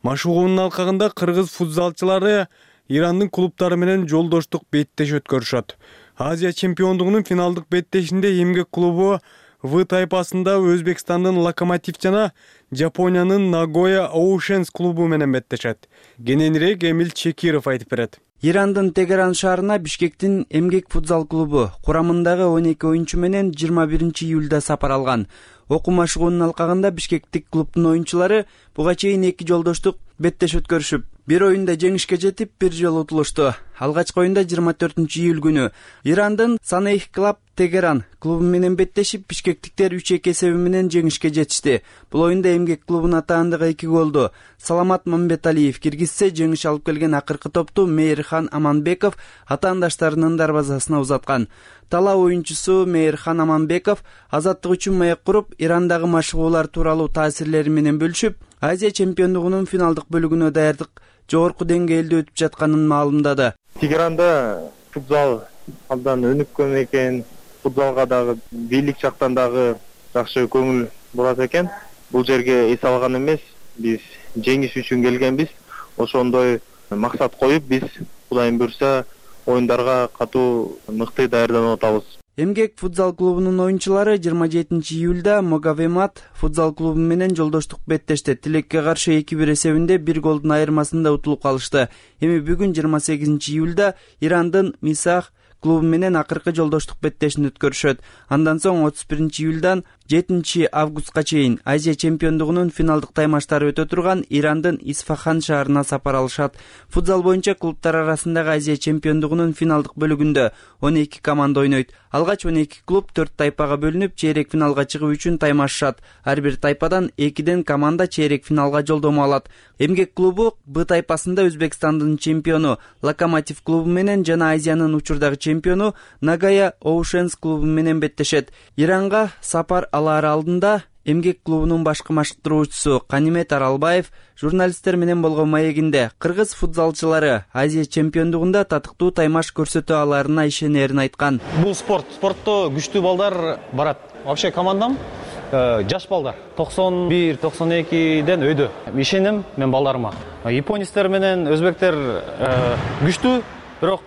Машыгуунун алкагында кыргыз футзалчылары Ирандын клубтары менен жолдоштук беттеш өткөрүшөт. Азия чемпиондугунун финалдык беттешинде эмгек клубу В тайпасында Өзбекстандын Локомотив жана Жапониянын Нагоя Оушенс клубу менен беттешет. Кененирээк Эмил Чекиров айтып берет. Ирандын Тегеран шаарына Бишкектин эмгек футзал клубу курамындагы он эки оюнчу менен жыйырма биринчи июлда сапар алган. Окуу машыгуунун алкагында бишкектик клубдун оюнчулары буга чейин эки жолдоштук беттеш өткөрүшүп, бир оюнда жеңишке жетип, бир жолу утулушту. Алгачкы оюнда жыйырма төртүнчү июль күнү Ирандын Санейх клуб Тегеран клубу менен беттешип, бишкектиктер үч эки эсеби менен жеңишке жетишти. Бул оюнда эмгек клубунун атаандыгы эки голду Саламат Мамбеталиев киргизсе, жеңиш алып келген акыркы топту Мейирхан Аманбеков атаандаштарынын дарбазасына узаткан. Тала оюнчусу Мейирхан Аманбеков азаттык үчүн маек куруп, Ирандагы машыгуулар тууралуу таасирлери менен бөлүшүп, Азия чемпиондугунун финалдык бөлүгүнө даярдык жогорку деңгээлде өтүп жатканын маалымдады. Тегеранда футзал абдан өнүккөн экен, футзалга дагы бийлик жактан дагы жакшы көңүл бурат экен. Бул жерге эс алган эмес, биз жеңиш үчүн келгенбиз. Ошондой максат коюп, биз Кудайым буйрса оюндарга катуу мыкты даярданып атабыз. Эмгек футзал клубунун оюнчулары жыйырма жетинчи июлда Могавемат футзал клубу менен жолдоштук беттешти. Тилекке каршы эки бир эсебинде бир голдун айырмасында утулуп калышты. Эми бүгүн жыйырма сегизинчи июлда Ирандын Мисах клубу менен акыркы жолдоштук беттешин өткөрүшөт. Андан соң отуз биринчи июлдан жетинчи августка чейин Азия чемпиондугунун финалдык таймаштары өтө турган Ирандын Исфахан шаарына сапар алышат. Футзал боюнча клубтар арасындагы Азия чемпиондугунун финалдык бөлүгүндө он эки команда ойнойт. Алгач он эки клуб төрт тайпага бөлүнүп, чейрек финалга чыгуу үчүн таймашышат. Ар бир тайпадан экиден команда чейрек финалга жолдомо алат. Эмгек клубу Б тайпасында Өзбекстандын чемпиону Локомотив клубу менен жана Азиянын учурдагы чемпиону Нагая Оушенс клубу менен беттешет. Иранга сапар алар алдында эмгек клубунун башкы машыктыруучусу Канимет Аралбаев журналисттер менен болгон маегинде кыргыз футзалчылары Азия чемпиондугунда татыктуу таймаш көрсөтө аларына ишенерин айткан. Бул спорт, спортто күчтүү балдар барат. Вообще командам жаш балдар токсон бир токсон экиден өйдө. Ишенем мен балдарыма. Японецтер менен өзбектер күчтүү, бирок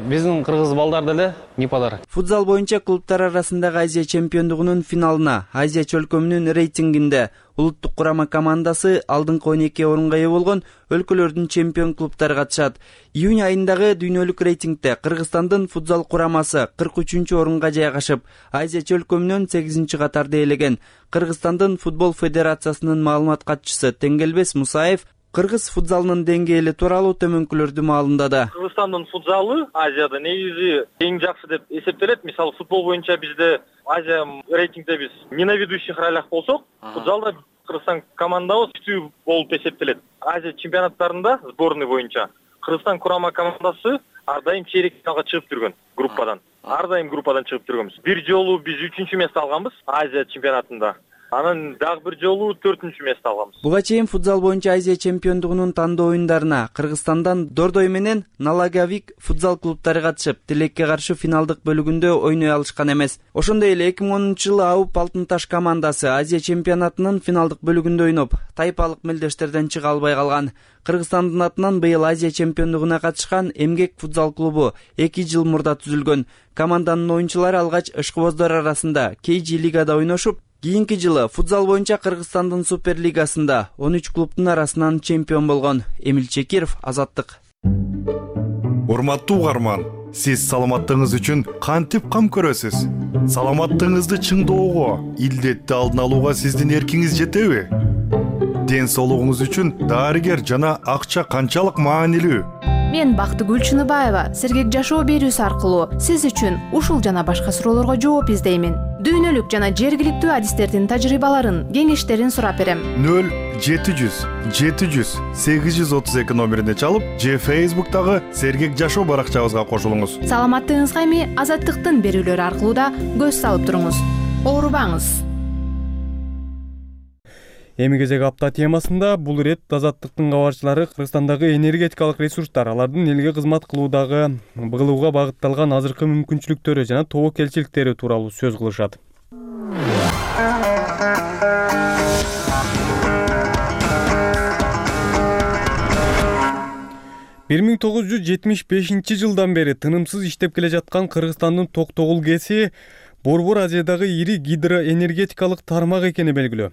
биздин кыргыз балдар деле не подарок. Футзал боюнча клубтар арасындагы Азия чемпиондугунун финалына Азия чөлкөмүнүн рейтингинде улуттук курама командасы алдыңкы он эки орунга ээ болгон өлкөлөрдүн чемпион клубтары катышат. Июнь айындагы дүйнөлүк рейтингде Кыргызстандын футзал курамасы кырк үчүнчү орунга жайгашып, Азия чөлкөмүнөн сегизинчи катарда ээлеген. Кыргызстандын футбол федерациясынын маалымат катчысы Теңгелбес Мусаев кыргыз футзалынын деңгээли тууралуу төмөнкүлөрдү маалымдады. Кыргызстандын футзалы Азияда негизи эң жакшы деп эсептелет. Мисалы футбол боюнча бизде Азия рейтингде биз не на ведущих ролях болсок, футзалда Кыргызстан командабыз күчтүү болуп эсептелет. Азия чемпионаттарында сборный боюнча Кыргызстан курама командасы ар дайым чейрек финалга чыгып жүргөн группадан. Ар дайым группадан чыгып жүргөнбүз. Бир жолу биз үчүнчү место алганбыз Азия чемпионатында. Анан дагы бир жолу төртүнчү место алганбыз. Буга чейин футзал боюнча Азия чемпиондугунун тандоо оюндарына Кыргызстандан Дордой менен Налагавик футзал клубтары катышып, тилекке каршы финалдык бөлүгүндө ойной алышкан эмес. Ошондой эле эки миң онунчу жылы Ауп Алтын Таш командасы Азия чемпионатынын финалдык бөлүгүндө ойноп, тайпалык мелдештерден чыга албай калган. Кыргызстандын атынан быйыл Азия чемпиондугуна катышкан Эмгек футзал клубу эки жыл мурда түзүлгөн. Команданын оюнчулары алгач ышкыбоздар арасында Кейжи лигада ойношуп, кийинки жылы футзал боюнча Кыргызстандын суперлигасында он үч клубтун арасынан чемпион болгон. Эмил Чекиров, Азаттык. Урматтуу угарман, сиз саламаттыгыңыз үчүн кантип кам көрөсүз? Саламаттыгыңызды чыңдоого, илдетти алдын алууга сиздин эркиңиз жетеби? Ден соолугуңуз үчүн дарыгер жана акча канчалык маанилүү? Мен Бактыгүл Чыныбаева сергек жашоо берүүсү аркылуу сиз үчүн ушул жана башка суроолорго жооп издеймин. Дүйнөлүк жана жергиликтүү адистердин тажрыйбаларын, кеңештерин сурап берем. нөл жети жүз жети жүз сегиз жүз отуз эки номерине чалып, же Facebook'тагы сергек жашоо баракчабызга кошулуңуз. Саламаттыгыңызга эми Азаттыктын берүүлөрү аркылуу да көз салып туруңуз. Оорубаңыз. Эми кезек апта темасында бул ирет Азаттыктын кабарчылары Кыргызстандагы энергетикалык ресурстар, алардын элге кызмат кылуудагы кылууга багытталган азыркы мүмкүнчүлүктөрү жана тобокелчиликтери тууралуу сөз кылышат. бир миң тогуз жүз жетимиш бешинчи жылдан бери тынымсыз иштеп келе жаткан Кыргызстандын Токтогул ГЭСи Борбор Азиядагы ири гидроэнергетикалык тармак экени белгилүү.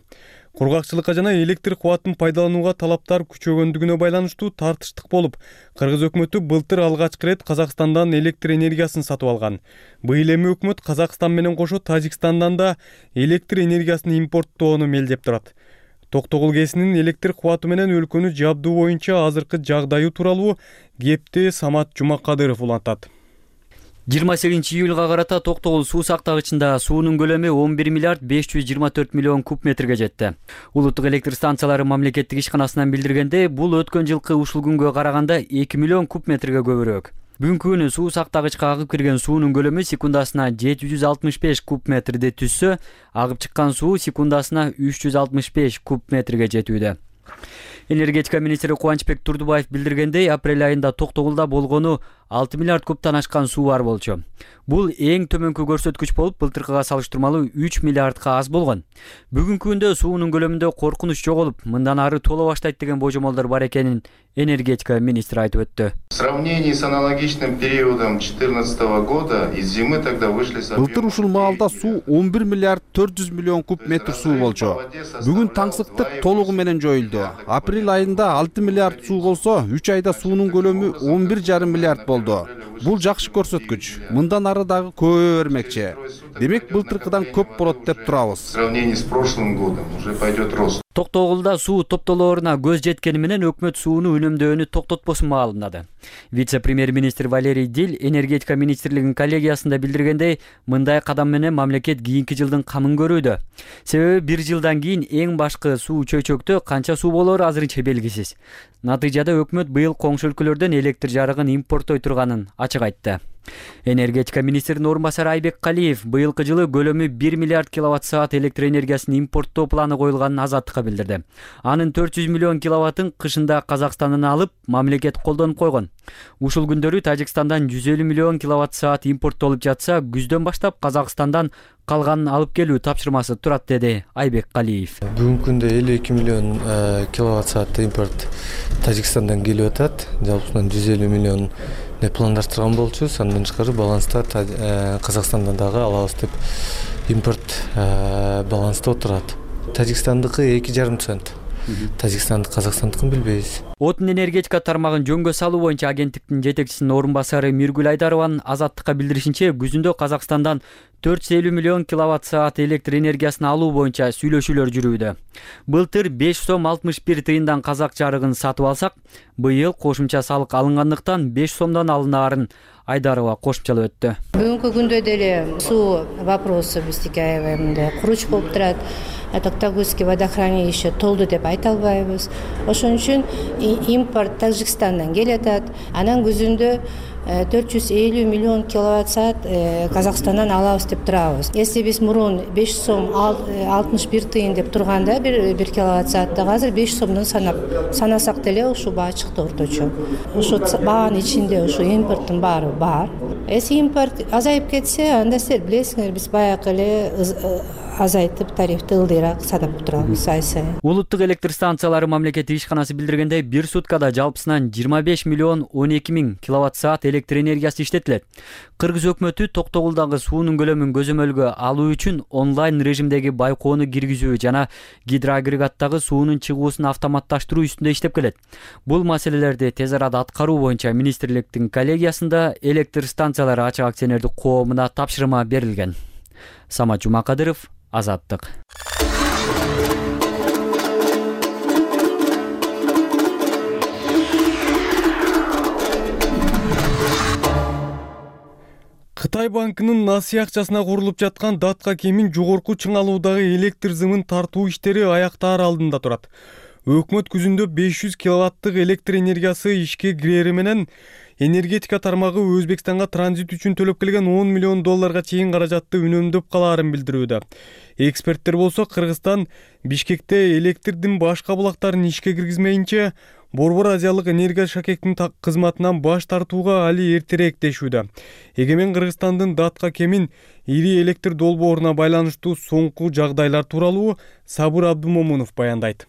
Кургакчылыкка жана электр кубатын пайдаланууга талаптар күчөгөндүгүнө байланыштуу тартыштык болуп, Кыргыз өкмөтү былтыр алгачкы ирет Казакстандан электр энергиясын сатып алган. Быйыл эми өкмөт Казакстан менен кошо Тажикстандан да электр энергиясын импорттоону мелдеп турат. Токтогул ГЭСинин электр кубаты менен өлкөнү жабдуу боюнча азыркы жагдайы тууралуу кепти Самат Жумакадыров улантат. жыйырма сегизинчи июлга карата Токтогул суу сактагычында суунун көлөмү он бир миллиард беш жүз жыйырма төрт миллион куб метрге жетти. Улуттук электр станциялары мамлекеттик ишканасынан билдиргенде, бул өткөн жылкы ушул күнгө караганда эки миллион куб метрге көбүрөөк. Бүгүнкү күнү суу сактагычка агып кирген суунун көлөмү секундасына жети жүз алтымыш беш куб метрди түзсө, агып чыккан суу секундасына үч жүз алтымыш беш куб метрге жетүүдө. Энергетика министри Кубанычбек Турдубаев билдиргендей, апрель айында Токтогулда болгону алты миллиард кубтан ашкан суу бар болчу. Бул эң төмөнкү көрсөткүч болуп, былтыркыга салыштырмалуу үч миллиардка аз болгон. Бүгүнкү күндө суунун көлөмүндө коркунуч жоголуп, мындан ары толо баштайт деген божомолдор бар экенин энергетика министри айтып өттү. В сравнении с аналогичным периодом две тысячи четырнадцатого года из зимы тогда вышли с Былтыр ушул маалда суу он бир миллиард төрт жүз миллион куб метр суу болчу. Бүгүн таңсыктык толугу менен жоюлду. Апрель айында алты миллиард суу болсо, үч айда суунун көлөмү он бир жарым миллиард болду. Бул жакшы көрсөткүч. Мындан ары дагы көбөйө бермекчи. Демек былтыркыдан көп болот деп турабыз. В сравнении с прошлым годом уже пойдет рост. Токтогулда суу топтолооруна көз жеткени менен өкмөт сууну үнөмдөөнү токтотпосун маалымдады. Вице-премьер-министр Валерий Дил энергетика министрлигинин коллегиясында билдиргендей, мындай кадам менен мамлекет кийинки жылдын камын көрүүдө. Себеби бир жылдан кийин эң башкы суу чөйчөктө канча суу болору азырынча белгисиз. Натыйжада өкмөт быйыл коңшу өлкөлөрдөн электр жарыгын импорттой турганын ачык айтты. Энергетика министринин орун басары Айбек Калиев быйылкы жылы көлөмү бир миллиард киловатт саат электр энергиясын импорттоо планы коюлганын Азаттыкка билдирди. Анын төрт жүз миллион киловаттын кышында Казакстандан алып, мамлекет колдонуп койгон. Ушул күндөрү Тажикстандан жүз элүү миллион киловатт саат импорттолуп жатса, күздөн баштап Казакстандан калганын алып келүү тапшырмасы турат, деди Айбек Калиев. Бүгүнкү күндө элүү эки миллион киловатт саат импорт Тажикстандан келип атат. Жалпысынан жүз элүү миллион пландаштырган болчубуз. Андан тышкары баланста Казакстандан дагы алабыз деп импорт баланста отурат. Тажикстандыкы эки жарым цент. Тажикстандык, Казакстандыкын билбейбиз. Отун энергетика тармагын жөнгө салуу боюнча агенттиктин жетекчисинин орун басары Миргүл Айдарованын Азаттыкка билдиришинче, күзүндө Казакстандан төрт жүз элүү миллион киловатт саат электр энергиясын алуу боюнча сүйлөшүүлөр жүрүүдө. Былтыр беш сом алтымыш бир тыйындан казак жарыгын сатып алсак, быйыл кошумча салык алынгандыктан беш сомдон алынаарын Айдарова кошумчалап өттү. Бүгүнкү күндө деле суу вопросу биздики аябай куруч болуп турат. Токтогузский водохранилище толду деп айта албайбыз. Ошон үчүн импорт Тажикстандан келатат. Анан күзүндө төрт жүз элүү миллион киловатт саат Казакстандан алабыз деп турабыз. Если биз мурун беш сом алтымыш бир тыйын деп турганда бир бир киловатт сааттык азыр беш сомдон санап санасак деле ушул баа чыкты орточо. Ушу баанын ичинде ушу импорттун баары бар. Если импорт азайып кетсе, анда силер билесиңер, биз баягы эле азайтып тарифти ылдыйраак сатып турабыз ай сайын. Улуттук электр станциялары мамлекеттик ишканасы билдиргендей, бир суткада жалпысынан жыйырма беш миллион он эки миң киловатт саат электр энергиясы иштетилет. Кыргыз өкмөтү Токтогулдагы суунун көлөмүн көзөмөлгө алуу үчүн онлайн режимдеги байкоону киргизүү жана гидроагрегаттагы суунун чыгуусун автоматташтыруу үстүндө иштеп келет. Бул маселелерди тез арада аткаруу боюнча министрликтин коллегиясында электр станциялары ачык акционердик коомуна тапшырма берилген. Самат Жумакадыров, Азаттык. Кытай банкынын насыя акчасына курулуп жаткан датка кемин жогорку чыңалуудагы электр зымын тартуу иштери аяктаар алдында турат. Өкмөт күзүндө беш жүз киловаттык электр энергиясы ишке кирери менен энергетика тармагы Өзбекстанга транзит үчүн төлөп келген он миллион долларга чейин каражатты үнөмдөп калаарын билдирүүдө. Эксперттер болсо Кыргызстан Бишкекте электрдин башка булактарын ишке киргизмейинче Борбор Азиялык энергия шакектин кызматынан баш тартууга али эртерээк дешүүдө. Эгемен Кыргызстандын датка кемин ири электр долбооруна байланыштуу соңку жагдайлар тууралуу Сабыр Абдумомунов баяндайт.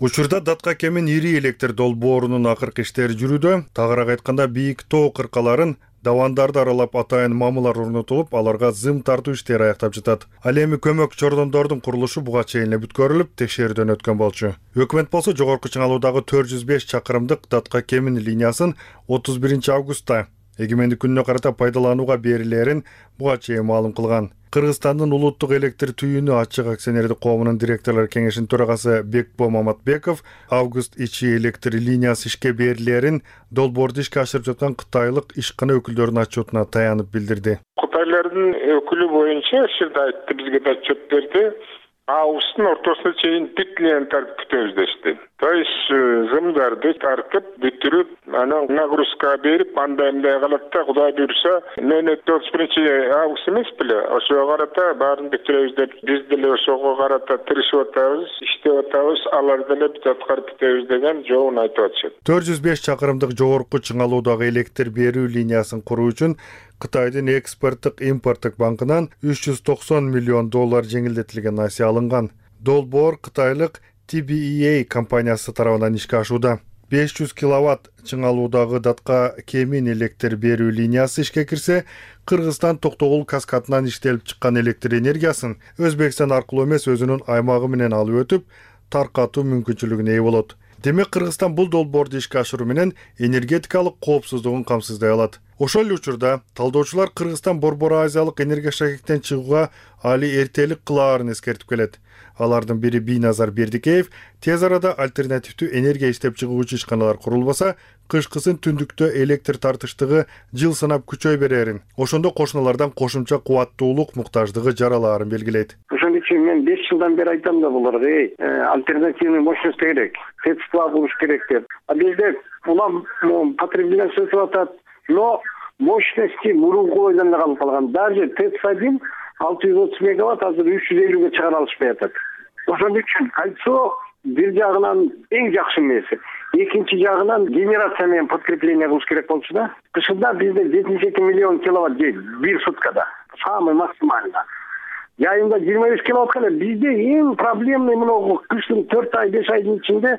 Учурда датка кемин ири электр долбоорунун акыркы иштери жүрүүдө. Тагыраак айтканда бийик тоо кыркаларын давандарды аралап атайын мамылар орнотулуп, аларга зым тартуу иштери аяктап жатат. Ал эми көмөк чордондордун курулушу буга чейин эле бүткөрүлүп, текшерүүдөн өткөн болчу. Өкмөт болсо жогорку чыңалуудагы төрт жүз беш чакырымдык датка кемин линиясын отуз биринчи августта эгемендик күнүнө карата пайдаланууга берилерин буга чейин маалым кылган. Кыргызстандын улуттук электр түйүнү ачык акционердик коомунун директорлор кеңешинин төрагасы Бекбо Маматбеков август ичи электр линиясы ишке берилерин долбоорду ишке ашырып жаткан кытайлык ишкана өкүлдөрүнүн отчетуна таянып билдирди. Кытайлардын өкүлү боюнча ушурда айтты, бизге да отчет берди. Августтун ортосуна чейин бүтлен тартып күтөбүз дешти. То есть зымдарды тартып бүтүрүп, анан нагрузка берип, андай мындай калат да, Кудай буйруса, нөлөттө отуз биринчи август эмес беле? Ошого карата баарын бүтүрөбүз деп, биз деле ошого карата тырышып атабыз, иштеп атабыз, алар деле бүт аткарып бүтөбүз деген жообун айтып атышат. төрт жүз беш чакырымдык жогорку чыңалуудагы электр берүү линиясын куруу үчүн Кытайдын экспорттук импорттук банкынан үч жүз токсон миллион доллар жеңилдетилген насыя алынган. Долбоор кытайлык Ти Би И Эй компаниясы тарабынан ишке ашууда. беш жүз киловатт чыңалуудагы датка кемин электр берүү линиясы ишке кирсе, Кыргызстан Токтогул каскадынан иштелип чыккан электр энергиясын Өзбекстан аркылуу эмес өзүнүн аймагы менен алып өтүп, таркатуу мүмкүнчүлүгүнө ээ болот. Демек Кыргызстан бул долбоорду ишке ашыруу менен энергетикалык коопсуздугун камсыздай алат. Ошол эле учурда талдоочулар Кыргызстан Борбор Азиялык энергия шакектен чыгууга али эртелик кылаарын эскертип келет. Алардын бири Бийназар Бердикеев тез арада альтернативдүү энергия иштеп чыгуучу ишканалар курулбаса, кышкысын түндүктө электр тартыштыгы жыл санап күчөй берерин, ошондо кошуналардан кошумча кубаттуулук муктаждыгы жаралаарын белгилейт. Ошон үчүн мен беш жылдан бери айтам да буларга, эй, альтернативный мощность керек, средства болуш керек деп. А бизде улам потребление өсүп атат, но мощности мурунку бойдон эле калып калган. Даже ТЭЦ один алты жүз отуз мегаватт азыр үч жүз элүүгө чыгара алышпай атат. Ошон үчүн кольцо бир жагынан эң жакшы нерсе. Экинчи жагынан генерация менен подкрепление кылыш керек болчу да. Кышында бизде жетимиш эки миллион киловатт жейт бир суткада. Самый максимально. Жайында жыйырма беш киловатт эле. Бизде эң проблемный мына кыштын төрт ай беш айдын ичинде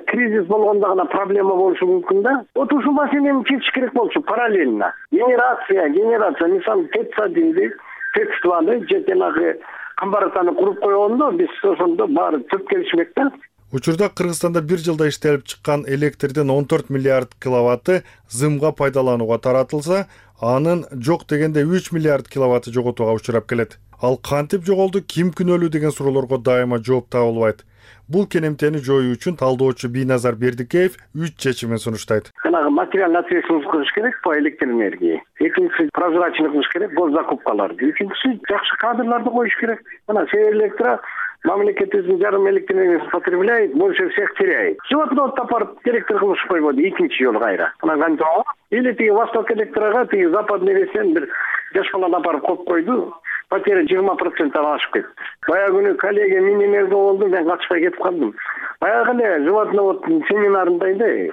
кризис болгондо гана проблема болушу мүмкүн да. Вот ушул маселени чечиш керек болчу параллельно. Генерация, генерация, мисалы ТЭЦ одинди, ТЭЦ дваны же жанагы камбаратаны куруп койгондо биз ошондо баары төп келишмек да. Учурда Кыргызстанда бир жылда иштелип чыккан электрдин он төрт миллиард киловатты зымга пайдаланууга таратылса, анын жок дегенде үч миллиард киловатты жоготууга учурап келет. Ал кантип жоголду, ким күнөөлүү деген суроолорго дайыма жооп табылбайт. Бул кенемтени жоюу үчүн талдоочу Бийназар Бердикеев үч чечимин сунуштайт. Жанагы материальный ответственность кылыш керек по электроэнергии. Экинчиси прозрачный кылыш керек госзакупкаларды. Үчүнчүсү жакшы кадрларды коюш керек. Мына Северэлектро мамлекетибиздин жарым электроэнергиясын потребляет, больше всех теряет. Животноводду апарып директор кылышып койбоду экинчи жолу кайра. Мына канча или тиги Восток электрога, тиги Западный Ресен бир жаш баланы апарып коюп койду. Потеря жыйырма проценттен ашып кетти. Баягы күнү коллега минимерде болду, мен качпай кетип калдым. Баягы эле животноводдун семинарында эле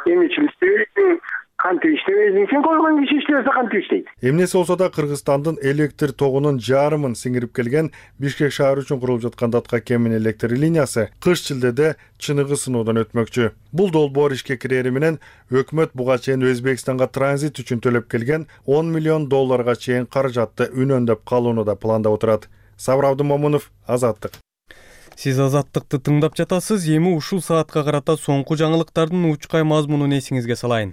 эмичил иштебейсиң, кантип иштебейсиң, сен койгон киши иштебесе кантип иштейт. Эмнеси болсо да Кыргызстандын электр тогунун жарымын сиңирип келген Бишкек шаары үчүн курулуп жаткан Датка Кемин электр линиясы кыш шилдеде чыныгы сыноодон өтмөкчү. Бул долбоор ишке кирери менен өкмөт буга чейин Өзбекстанга транзит үчүн төлөп келген он миллион долларга чейин каражатты үнөндөп калууну да пландап отурат. Сабыр Абдымомунов, Азаттык. Сиз Азаттыкты тыңдап жатасыз. Эми ушул саатка карата соңку жаңылыктардын учкай мазмунун эсиңизге салайын.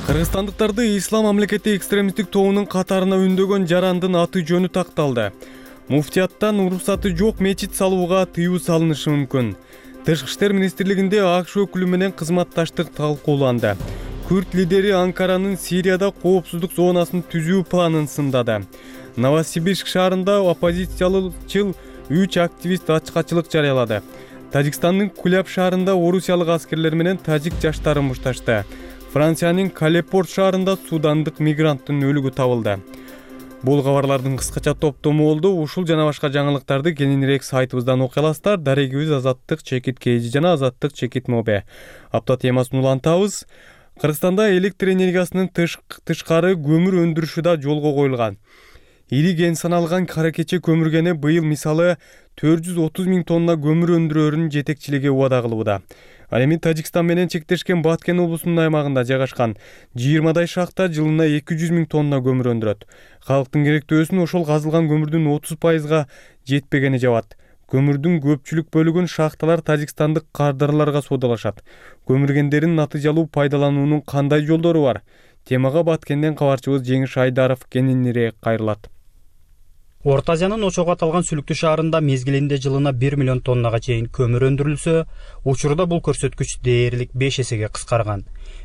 Кыргызстандыктарды Ислам мамлекети экстремисттик тобунун катарына үндөгөн жарандын аты жөнү такталды. Муфтияттан уруксаты жок мечит салууга тыюу салынышы мүмкүн. Тышкы иштер министрлигинде АКШ өкүлү менен кызматташтык талкууланды. Күрд лидери Анкаранын Сирияда коопсуздук зонасын түзүү планын сындады. Новосибирск шаарында оппозициялычыл үч активист ачкачылык жарыялады. Тажикстандын Куляб шаарында орусиялык аскерлер менен тажик жаштары мушташты. Франциянын Калепорт шаарында судандык мигранттын өлүгү табылды. Бул кабарлардын кыскача топтому болду. Ушул жана башка жаңылыктарды кененирээк сайтыбыздан окуй аласыздар. Дарегибиз Азаттык чекит Кж жана Азаттык чекит Мобе. Апта темасын улантабыз. Кыргызстанда электр энергиясынын тышкары көмүр өндүрүшү да жолго коюлган. Ири кен саналган кара кече көмүргени быйыл мисалы төрт жүз отуз миң тонна көмүр өндүрөөрүнүн жетекчилиги убада кылууда. Ал эми Тажикстан менен чектешкен Баткен облусунун аймагында жайгашкан жыйырмадай шахта жылына эки жүз миң тонна көмүр өндүрөт. Калктын керектөөсүн ошол казылган көмүрдүн отуз пайызга жетпегени жабат. Көмүрдүн көпчүлүк бөлүгүн шахталар тажикстандык кардарларга соодалашат. Көмүргендерин натыйжалуу пайдалануунун кандай жолдору бар? Темага Баткенден кабарчыбыз Жеңиш Айдаров кененирээк кайрылат. Орто Азиянын очогу аталган Сүлүктүү шаарында мезгилинде жылына бир миллион тоннага чейин көмүр өндүрүлсө, учурда бул көрсөткүч дээрлик беш эсеге кыскарган.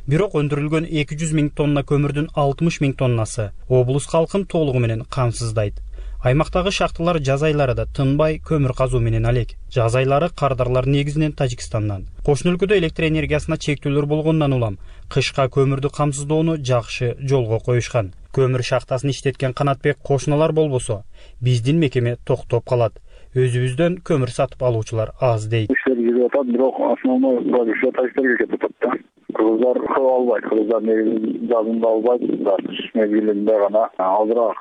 Бирок өндүрүлгөн эки жүз миң тонна көмүрдүн алтымыш миң тоннасы облус калкын толугу менен камсыздайт. Аймактагы шахталар жаз айларында тынбай көмүр казуу менен алек. Жаз айлары кардарлар негизинен Тажикстандан. Кошуна өлкөдө электр энергиясына чектөөлөр болгондон улам кышка көмүрдү камсыздоону жакшы жолго коюшкан. Көмүр шахтасын иштеткен Канатбек кошуналар болбосо, биздин мекеме токтоп калат. Өзүбүздөн көмүр сатып алуучулар аз дейт. Иштер жүрүп атат, бирок основной продукция тажиктерге кетип атат да. Кыргыздар көп албайт, кыргыздар негизинен жазында албайт, кыш мезгилинде гана азыраак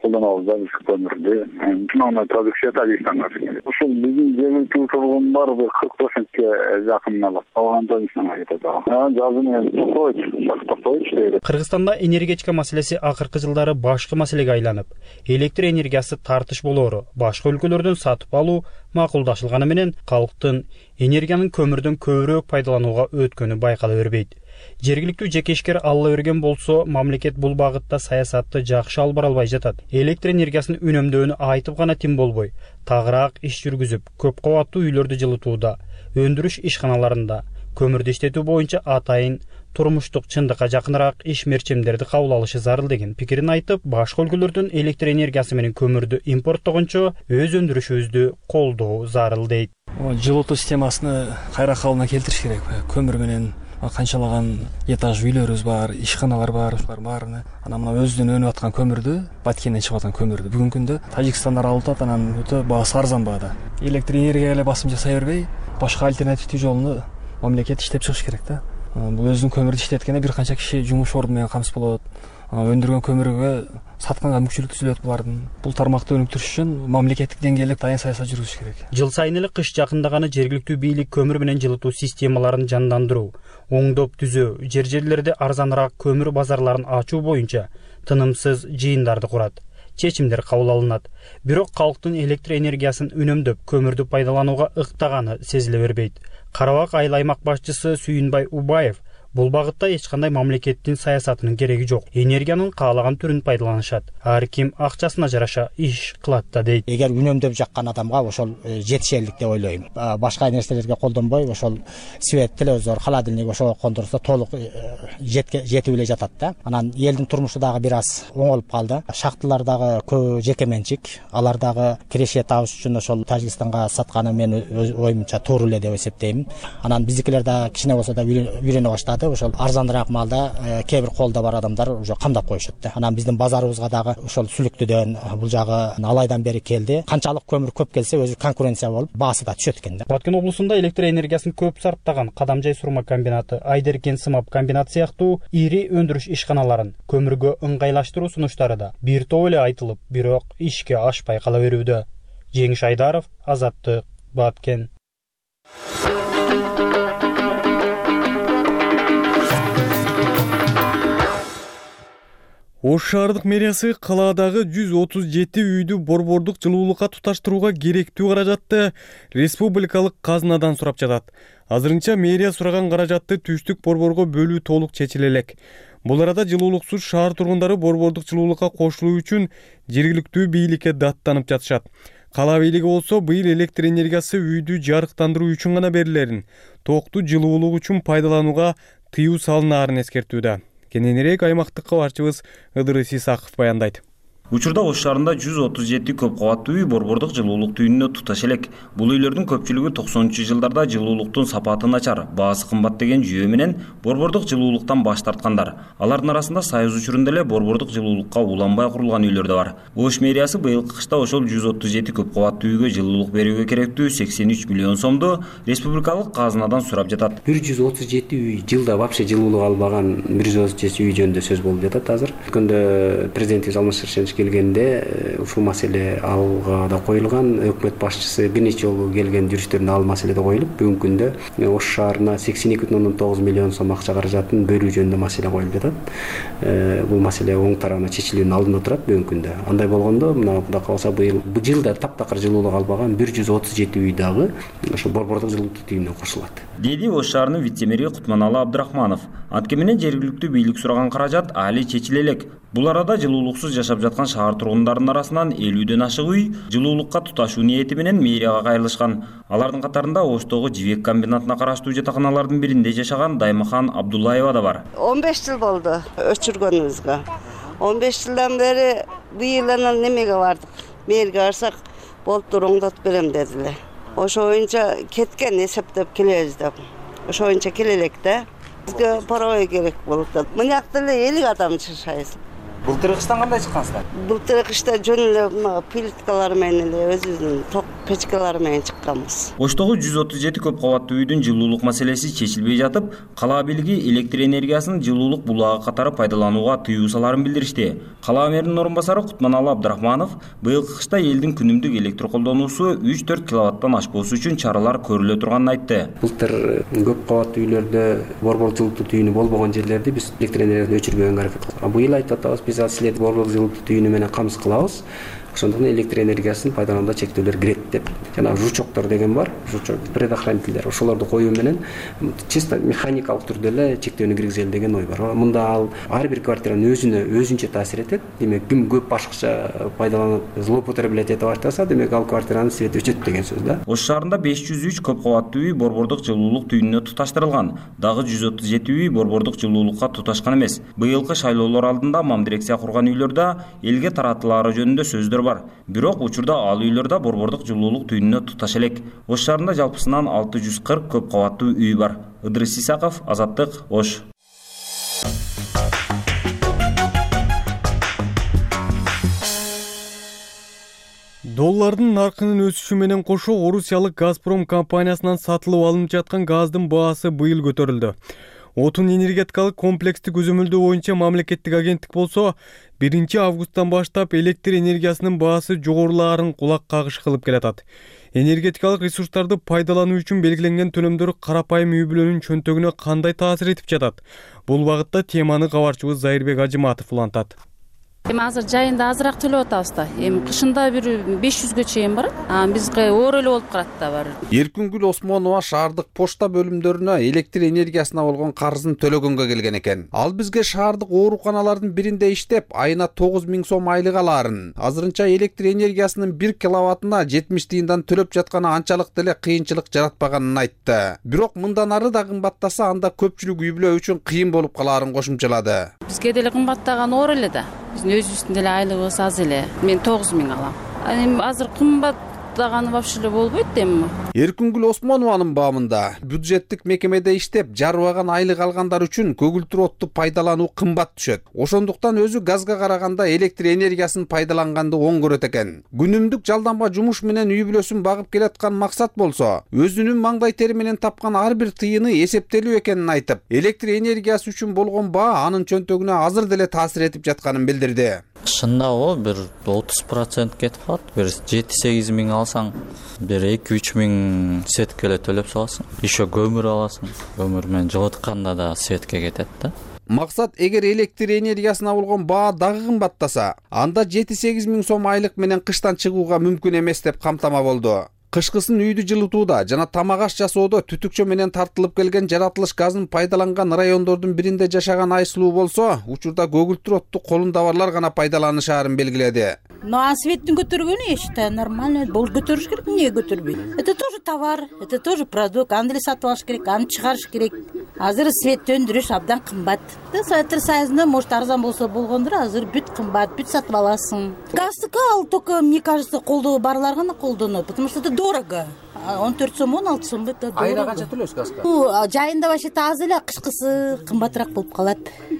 колдонобуз да биз көмүрдү. Основной продукция Тажикстанга келет. Ушул биздин жергиликтүү тургундар бир кырк процентке жакын алат. Калган Тажикстанга кетет. Жазы менен токтойт, токтойт дейт. Кыргызстанда энергетика маселеси акыркы жылдары башкы маселеге айланып, электр энергиясы тартыш болоору, башка өлкөлөрдөн сатып алуу макулдашылганы менен калктын энергиянын көмүрдөн көбүрөөк пайдаланууга өткөнү байкала бербейт. Жергиликтүү жеке ишкер алла берген болсо, мамлекет бул багытта саясатты жакшы алып бара албай жатат. Электр энергиясын үнөмдөөнү айтып гана тим болбой, тагыраак иш жүргүзүп, көп кабаттуу үйлөрдү жылытууда, өндүрүш ишканаларында, көмүрдү иштетүү боюнча атайын турмуштук чындыкка жакыныраак иш мерчемдерди кабыл алышы зарыл деген пикирин айтып, башка өлкөлөрдүн электр энергиясы менен көмүрдү импорттогончо өз өндүрүшүбүздү колдоо зарыл дейт. Жылытуу системасыны кайра калыбына келтириш керек. Көмүр менен канчалаган этаж үйлөрүбүз бар, ишканалар бар, ушулардын баарына анан мына өзүнөн өнүп аткан көмүрдү, Баткенден чыгып аткан көмүрдү бүгүнкү күндө Тажикстандан алып атат, анан өтө баасы арзан баада. Электр энергияга эле басым жасай бербей, башка альтернативдүү жолуну мамлекет иштеп чыгыш керек да. Бул өзүнүн көмүрдү иштеткенде бир канча киши жумуш орду менен камсыз болот. Өндүргөн көмүргө сатканга мүмкүнчүлүк түзүлөт булардын. Бул тармакты өнүктүрүш үчүн мамлекеттик деңгээлде дайын саясат жүргүзүш керек. Жыл сайын эле кыш жакындаганы жергиликтүү бийлик көмүр менен жылытуу системаларын жандандыруу, оңдоп түзөө, жер жерлерде арзаныраак көмүр базарларын ачуу боюнча тынымсыз жыйындарды курат. Чечимдер кабыл алынат. Бирок калктын электр энергиясын үнөмдөп, көмүрдү пайдаланууга ыктаганы сезиле бербейт. Карабак айыл аймак башчысы Сүйүнбай Убаев бул багытта эч кандай мамлекеттин саясатынын кереги жок. Энергиянын каалаган түрүн пайдаланышат. Ар ким акчасына жараша иш кылат да дейт. Эгер үнөмдөп жаккан адамга ошол жетишерлик деп ойлойм. Башка нерселерге колдонбой, ошол свет, телевизор, холодильник ошого кондурса толук жетип эле жатат да. Анан элдин турмушу дагы бир аз оңолуп калды. Шахталар дагы көбү жеке менчик. Алар дагы киреше табыш үчүн ошол Тажикстанга сатканы мен оюмча туура эле деп эсептейм. Анан биздикилер да кичине болсо да үйрөнө баштады. Ошол арзаныраак малда кээ бир колдо бар адамдар уже камдап коюшат да. Анан биздин базарыбызга дагы ошол Сүлүктүдөн бул жагы алайдан бери келди. Канчалык көмүр көп келсе өзү конкуренция болуп баасы да түшөт экен да. Баткен облусунда электр энергиясын көп сарптаган Кадамжай сурма комбинаты, Айдеркен сымап комбинаты сыяктуу ири өндүрүш ишканаларын көмүргө ыңгайлаштыруу сунуштары да бир топ эле айтылып, бирок ишке ашпай кала берүүдө. Жеңиш Айдаров, Азаттык, Баткен. Ош шаардык мэриясы калаадагы жүз отуз жети үйдү борбордук жылуулукка туташтырууга керектүү каражатты республикалык казынадан сурап жатат. Азырынча мэрия сураган каражатты түштүк борборго бөлүү толук чечиле элек. Бул арада жылуулуксуз шаар тургундары борбордук жылуулукка кошулуу үчүн жергиликтүү бийликке даттанып жатышат. Кала бийлиги болсо быйыл электр энергиясы үйдү жарыктандыруу үчүн гана берилерин, токту жылуулук үчүн пайдаланууга тыюу салынаарын эскертүүдө. Кененирээк аймактык кабарчыбыз Ыдырыс Исаков баяндайт. Учурда Ош шаарында жүз отуз жети көп кабаттуу үй борбордук жылуулук түйүнүнө туташ элек. Бул үйлөрдүн көпчүлүгү токсонунчу жылдарда жылуулуктун сапаты начар, баасы кымбат деген жүйө менен борбордук жылуулуктан баш тарткандар. Алардын арасында Союз учурунда эле борбордук жылуулукка уланбай курулган үйлөр да бар. Ош мэриясы быйылкы кышта ошол жүз отуз жети көп кабаттуу үйгө жылуулук берүүгө керектүү сексен үч миллион сомду республикалык казынадан сурап жатат. бир жүз отуз жети үй жылда вообще жылуулук албаган бир жүз отуз жети үй жөнүндө сөз болуп жатат азыр. Өткөндө президентибиз Алмаз Шаршенович келгенде ушул маселе алга да коюлган. Өкмөт башчысы бир нече жолу келген жүрүштөрүндө ал маселе да коюлуп, бүгүнкү күндө Ош шаарына сексен эки бүтүн ондон тогуз миллион сом акча каражатын бөлүү жөнүндө маселе коюлуп жатат. Бул маселе оң тарабына чечилүүнүн алдында турат бүгүнкү күндө. Андай болгондо мына Кудай кааласа быйыл бул жылда таптакыр жылуулук албаган бир жүз отуз жети үй дагы ошо борбордук жылуулук түйүнүнө кошулат. Деди Ош шаарынын вице-мэри Кутманалы Абдрахманов. Анткени менен жергиликтүү бийлик сураган каражат али чечиле элек. Бул арада жылуулуксуз жашап жаткан шаар тургундарынын арасынан элүүдөн ашык үй жылуулукка туташуу ниети менен мэрияга кайрылышкан. Алардын катарында Оштогу Жибек комбинатына караштуу жатаканалардын биринде жашаган Даймахан Абдуллаева да бар. он беш жыл болду өчүргөнүбүзгө. он беш жылдан бери быйыл анан немеге бардык. Мэрге барсак, болуптур оңдотуп берем дедилер. Ошо боюнча кеткен эсептеп келебиз деп. Ошо боюнча келелек да. Бизге паровой керек болуп атат. Мынакта эле элүү адам жашайбыз. Былтыр кыштан кандай чыккансыздар? Былтыр кышта жөн эле мына плиткалар менен эле өзүбүздүн ток печкалары менен чыкканбыз. Оштогу жүз отуз жети көп кабаттуу үйдүн жылуулук маселеси чечилбей жатып, кала бийлиги электр энергиясын жылуулук булагы катары пайдаланууга тыюу саларын билдиришти. Кала мэринин орун басары Кутманалы Абдрахманов быйылкы кышта элдин күнүмдүк электр колдонуусу үч төрт киловаттан ашпоосу үчүн чаралар көрүлө турганын айтты. Былтыр көп кабаттуу үйлөрдө борбордук жылытуу түйүнү болбогон жерлерди биз электр энергиясын өчүрбөгөнгө аракет кылдык. Быйыл айтып атабыз, биз силерди борбордук жылытуу түйүнү менен камсыз кылабыз. ошондуктан электр энергиясын пайдаланууда чектөөлөр кирет деп жанагы жучоктор деген бар, жучок предохранительдер, ошолорду коюу менен чисто механикалык түрдө эле чектөөнү киргизели деген ой бар. Мында ал ар бир квартиранын өзүнө өзүнчө таасир этет. Демек ким көп башкача пайдаланып злоупотреблять эте баштаса, демек ал квартиранын свети өчөт деген сөз да. Ош шаарында беш жүз үч көп кабаттуу үй борбордук жылуулук түйүнүнө туташтырылган. Дагы жүз отуз жети үй борбордук жылуулукка туташкан эмес. Быйылкы шайлоолор алдында мам дирекция курган үйлөрдө элге таратылаары жөнүндө сөздөр бар. Бирок учурда ал үйлөрдө борбордук жылуулук түйүнүнө туташ элек. Ош шаарында жалпысынан алты жүз кырк көп кабаттуу үй бар. Ыдырыс Исаков, Азаттык, Ош. Доллардын наркынын өсүшү менен кошо Орусиялык Газпром компаниясынан сатылып алынып жаткан газдын баасы быйыл көтөрүлдү. Отун энергетикалык комплекстик көзөмөлдөө боюнча мамлекеттик агенттик болсо биринчи августтан баштап электр энергиясынын баасы жогорулаарын кулак кагыш кылып келатат. Энергетикалык ресурстарды пайдалануу үчүн белгиленген төлөмдөр карапайым үй бүлөнүн чөнтөгүнө кандай таасир этип жатат? Бул багытта теманы кабарчыбыз Зайырбек Ажыматов улантат. Эми азыр жайында азыраак төлөп атабыз да. Эми кышында бир беш жүзгө чейин барат. А бизге оор эле болуп калат да бар. Эркүнгүл Осмонова шаардык почта бөлүмдөрүнө электр энергиясына болгон карызын төлөгөнгө келген экен. Ал бизге шаардык ооруканалардын биринде иштеп, айына тогуз миң сом айлык алаарын, азырынча электр энергиясынын бир киловаттына жетимиш тыйындан төлөп жатканы анчалык деле кыйынчылык жаратпаганын айтты. Бирок мындан ары да кымбаттаса, анда көпчүлүк үй бүлө үчүн кыйын болуп калаарын кошумчалады. Бизге деле кымбаттаган оор эле да. Биздин өзүбүздүн деле айлыгыбыз аз эле. Мен тогуз миң алам. Эми азыр кымбаттаганы вообще эле болбойт эми. Эркүнгүл Осмонованын баамында бюджеттик мекемеде иштеп, жарыбаган айлык алгандар үчүн көгүлтүр отту пайдалануу кымбат түшөт. Ошондуктан өзү газга караганда электр энергиясын пайдаланганды оң көрөт экен. Күнүмдүк жалданба жумуш менен үй бүлөсүн багып келаткан максат болсо, өзүнүн маңдай тери менен тапкан ар бир тыйыны эсептелүү экенин айтып, электр энергиясы үчүн болгон баа анын чөнтөгүнө азыр деле таасир этип жатканын билдирди. Кышында о бир отуз процент кетип калат. Бир жети сегиз миң алсаң, бир эки үч миң сетке эле төлөп саласың. Еще көмүр аласың. Көмүр менен жылытканда да сетке кетет да. Максат, эгер электр энергиясына болгон баа дагы кымбаттаса, анда жети сегиз миң сом айлык менен кыштан чыгууга мүмкүн эмес деп камтама болду. Кышкысын үйдү жылытууда жана тамак аш жасоодо түтүкчө менен тартылып келген жаратылыш газын пайдаланган райондордун биринде жашаган Айсулуу болсо, учурда көгүлтүр отту колунда барлар гана пайдаланышаарын белгиледи. Ну а светтин көтөргөнү я считаю нормально. Бул көтөрүш керек, эмне көтөрбөйт? Это тоже товар, это тоже продукт. Аны деле сатып алыш керек, аны чыгарыш керек. Азыр свет өндүрүш абдан кымбат. Советтер Союзунда может арзан болсо болгондур, азыр бүт кымбат, бүт сатып аласың. Газдыкы ал только, мне кажется, колдоо барлар гана колдонот, потому что это дорого. он төрт сом, он алты сом это дорого. Айда канча төлөйсүз газга? Ну, жайында вообще аз эле, кышкысы кымбатыраак болуп калат.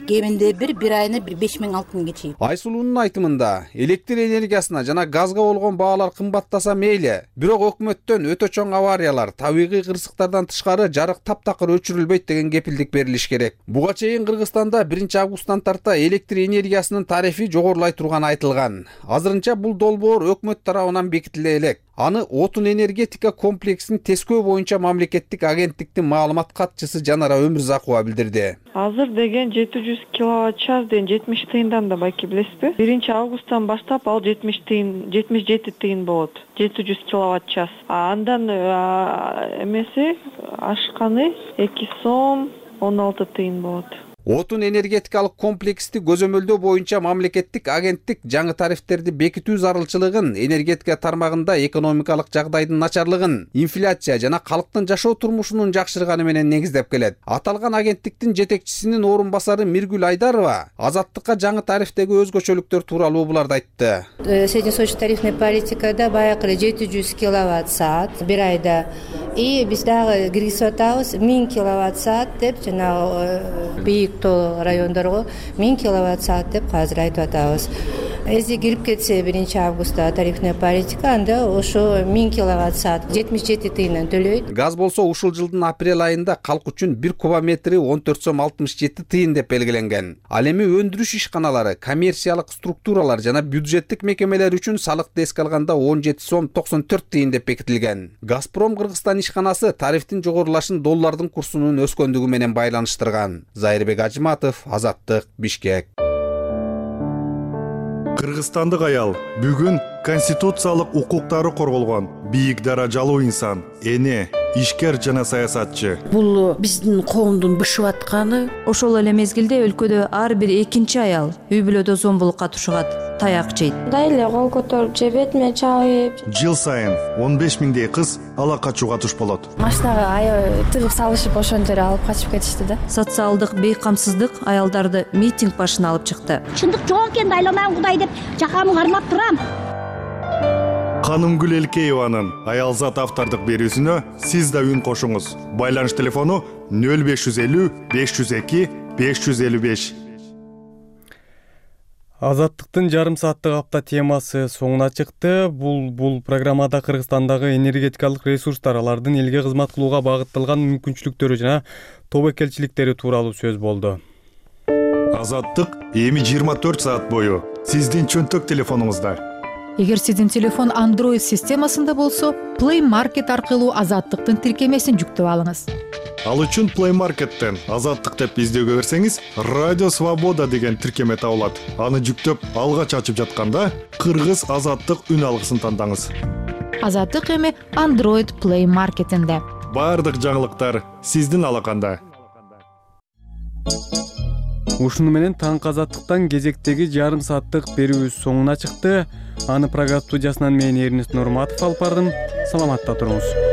Кеминде бир бир айына бир беш миң алты миңге чейин. Айсулуунун айтымында, электр энергиясына жана газга болгон баалар кымбаттаса мейли, бирок өкмөттөн өтө чоң авариялар, табигый кырсыктардан тышкары жарык таптакыр өчүрүлбөйт деген кепилдик берилиш керек. Буга чейин Кыргызстанда биринчи августтан тарта электр энергиясынын тарифи жогорулай турганы айтылган. Азырынча бул долбоор өкмөт тарабынан бекитиле элек. Аны отун энергетика комплексин тескөө боюнча мамлекеттик агенттиктин маалымат катчысы Жанара Өмүрзакова билдирди. Азыр деген жети жүз киловатт час деген жетимиш тыйындан да байки билесизби? биринчи августтан баштап ал жетимиш тыйын, жетимиш жети тыйын болот. жети жүз киловатт час. А андан эмеси ашканы эки сом он алты тыйын болот. Отун энергетикалык комплексти көзөмөлдөө боюнча мамлекеттик агенттик жаңы тарифтерди бекитүү зарылчылыгын, энергетика тармагында экономикалык жагдайдын начарлыгын, инфляция жана калктын жашоо турмушунун жакшырганы менен негиздеп келет. Аталган агенттиктин жетекчисинин орун басары Миргүл Айдарова Азаттыкка жаңы тарифтеги өзгөчөлүктөр тууралуу буларды айтты. Среднесрочная тарифная политикада баягы жети жүз киловатт саат бир айда, и биз дагы киргизип атабыз миң киловатт саат деп, жана бийик тоо райондорго миң киловатт саат деп азыр айтып атабыз. Эзи кирип кетсе биринчи августта тарифная политика, анда ошо миң киловатт саат жетимиш жети тыйындан төлөйт. Газ болсо ушул жылдын апрель айында калк үчүн бир кубометри он төрт сом алтымыш жети тыйын деп белгиленген. Ал эми өндүрүш ишканалары, коммерциялык структуралар жана бюджеттик мекемелер үчүн салыкты эске алганда он жети сом токсон төрт тыйын деп бекитилген. Газпром Кыргызстан ишканасы тарифтин жогорулашын доллардын курсунун өскөндүгү менен байланыштырган. Зайырбек Ажыматов, Азаттык, Бишкек. Кыргызстандык аял бүгүн конституциялык укуктары корголгон бийик даражалуу инсан, эне, ишкер жана саясатчы. Бул биздин коомдун бышып атканы. Ошол эле мезгилде өлкөдө ар бир экинчи аял үй бүлөдө зомбулукка тушугат, таяк жейт. Дайле кол көтөрүп же бетиме чабып. Жыл сайын он беш миңдей кыз ала качууга туш болот. Машинага аябай тыгып салышып ошентип алып качып кетишти да. Социалдык бейкамсыздык аялдарды митинг башына алып чыкты. Чындык жок экен, айламан Кудай деп жакамы кармап турам. Канымгүл Элкееванын аялзат автордук берүүсүнө сиз да үн кошуңуз. Байланыш телефону нөл беш жүз элүү беш жүз эки беш жүз элүү беш. Азаттыктын жарым сааттык апта темасы соңуна чыкты. Бул бул программада Кыргызстандагы энергетикалык ресурстар, алардын элге кызмат кылууга багытталган мүмкүнчүлүктөрү жана тобокелчиликтери тууралуу сөз болду. Азаттык эми жыйырма төрт саат бою сиздин чөнтөк телефонуңузда. Эгер сиздин телефон Android системасында болсо, Play Market аркылуу Азаттыктын тиркемесин жүктөп алыңыз. Ал үчүн Play Market'тен Азаттык деп издөөгө берсеңиз, Радио Свобода деген тиркеме табылат. Аны жүктөп алгач ачып жатканда Кыргыз Азаттык үн алгысын тандаңыз. Азаттык эми Android Play Market'инде. Бардык жаңылыктар сиздин алаканда. Ушуну менен таңкы Азаттыктан кезектеги жарым сааттык берүүбүз соңуна чыкты. Аны программа студиясынан мен Эрнест Нурматов алып бардым. Саламатта туруңуз.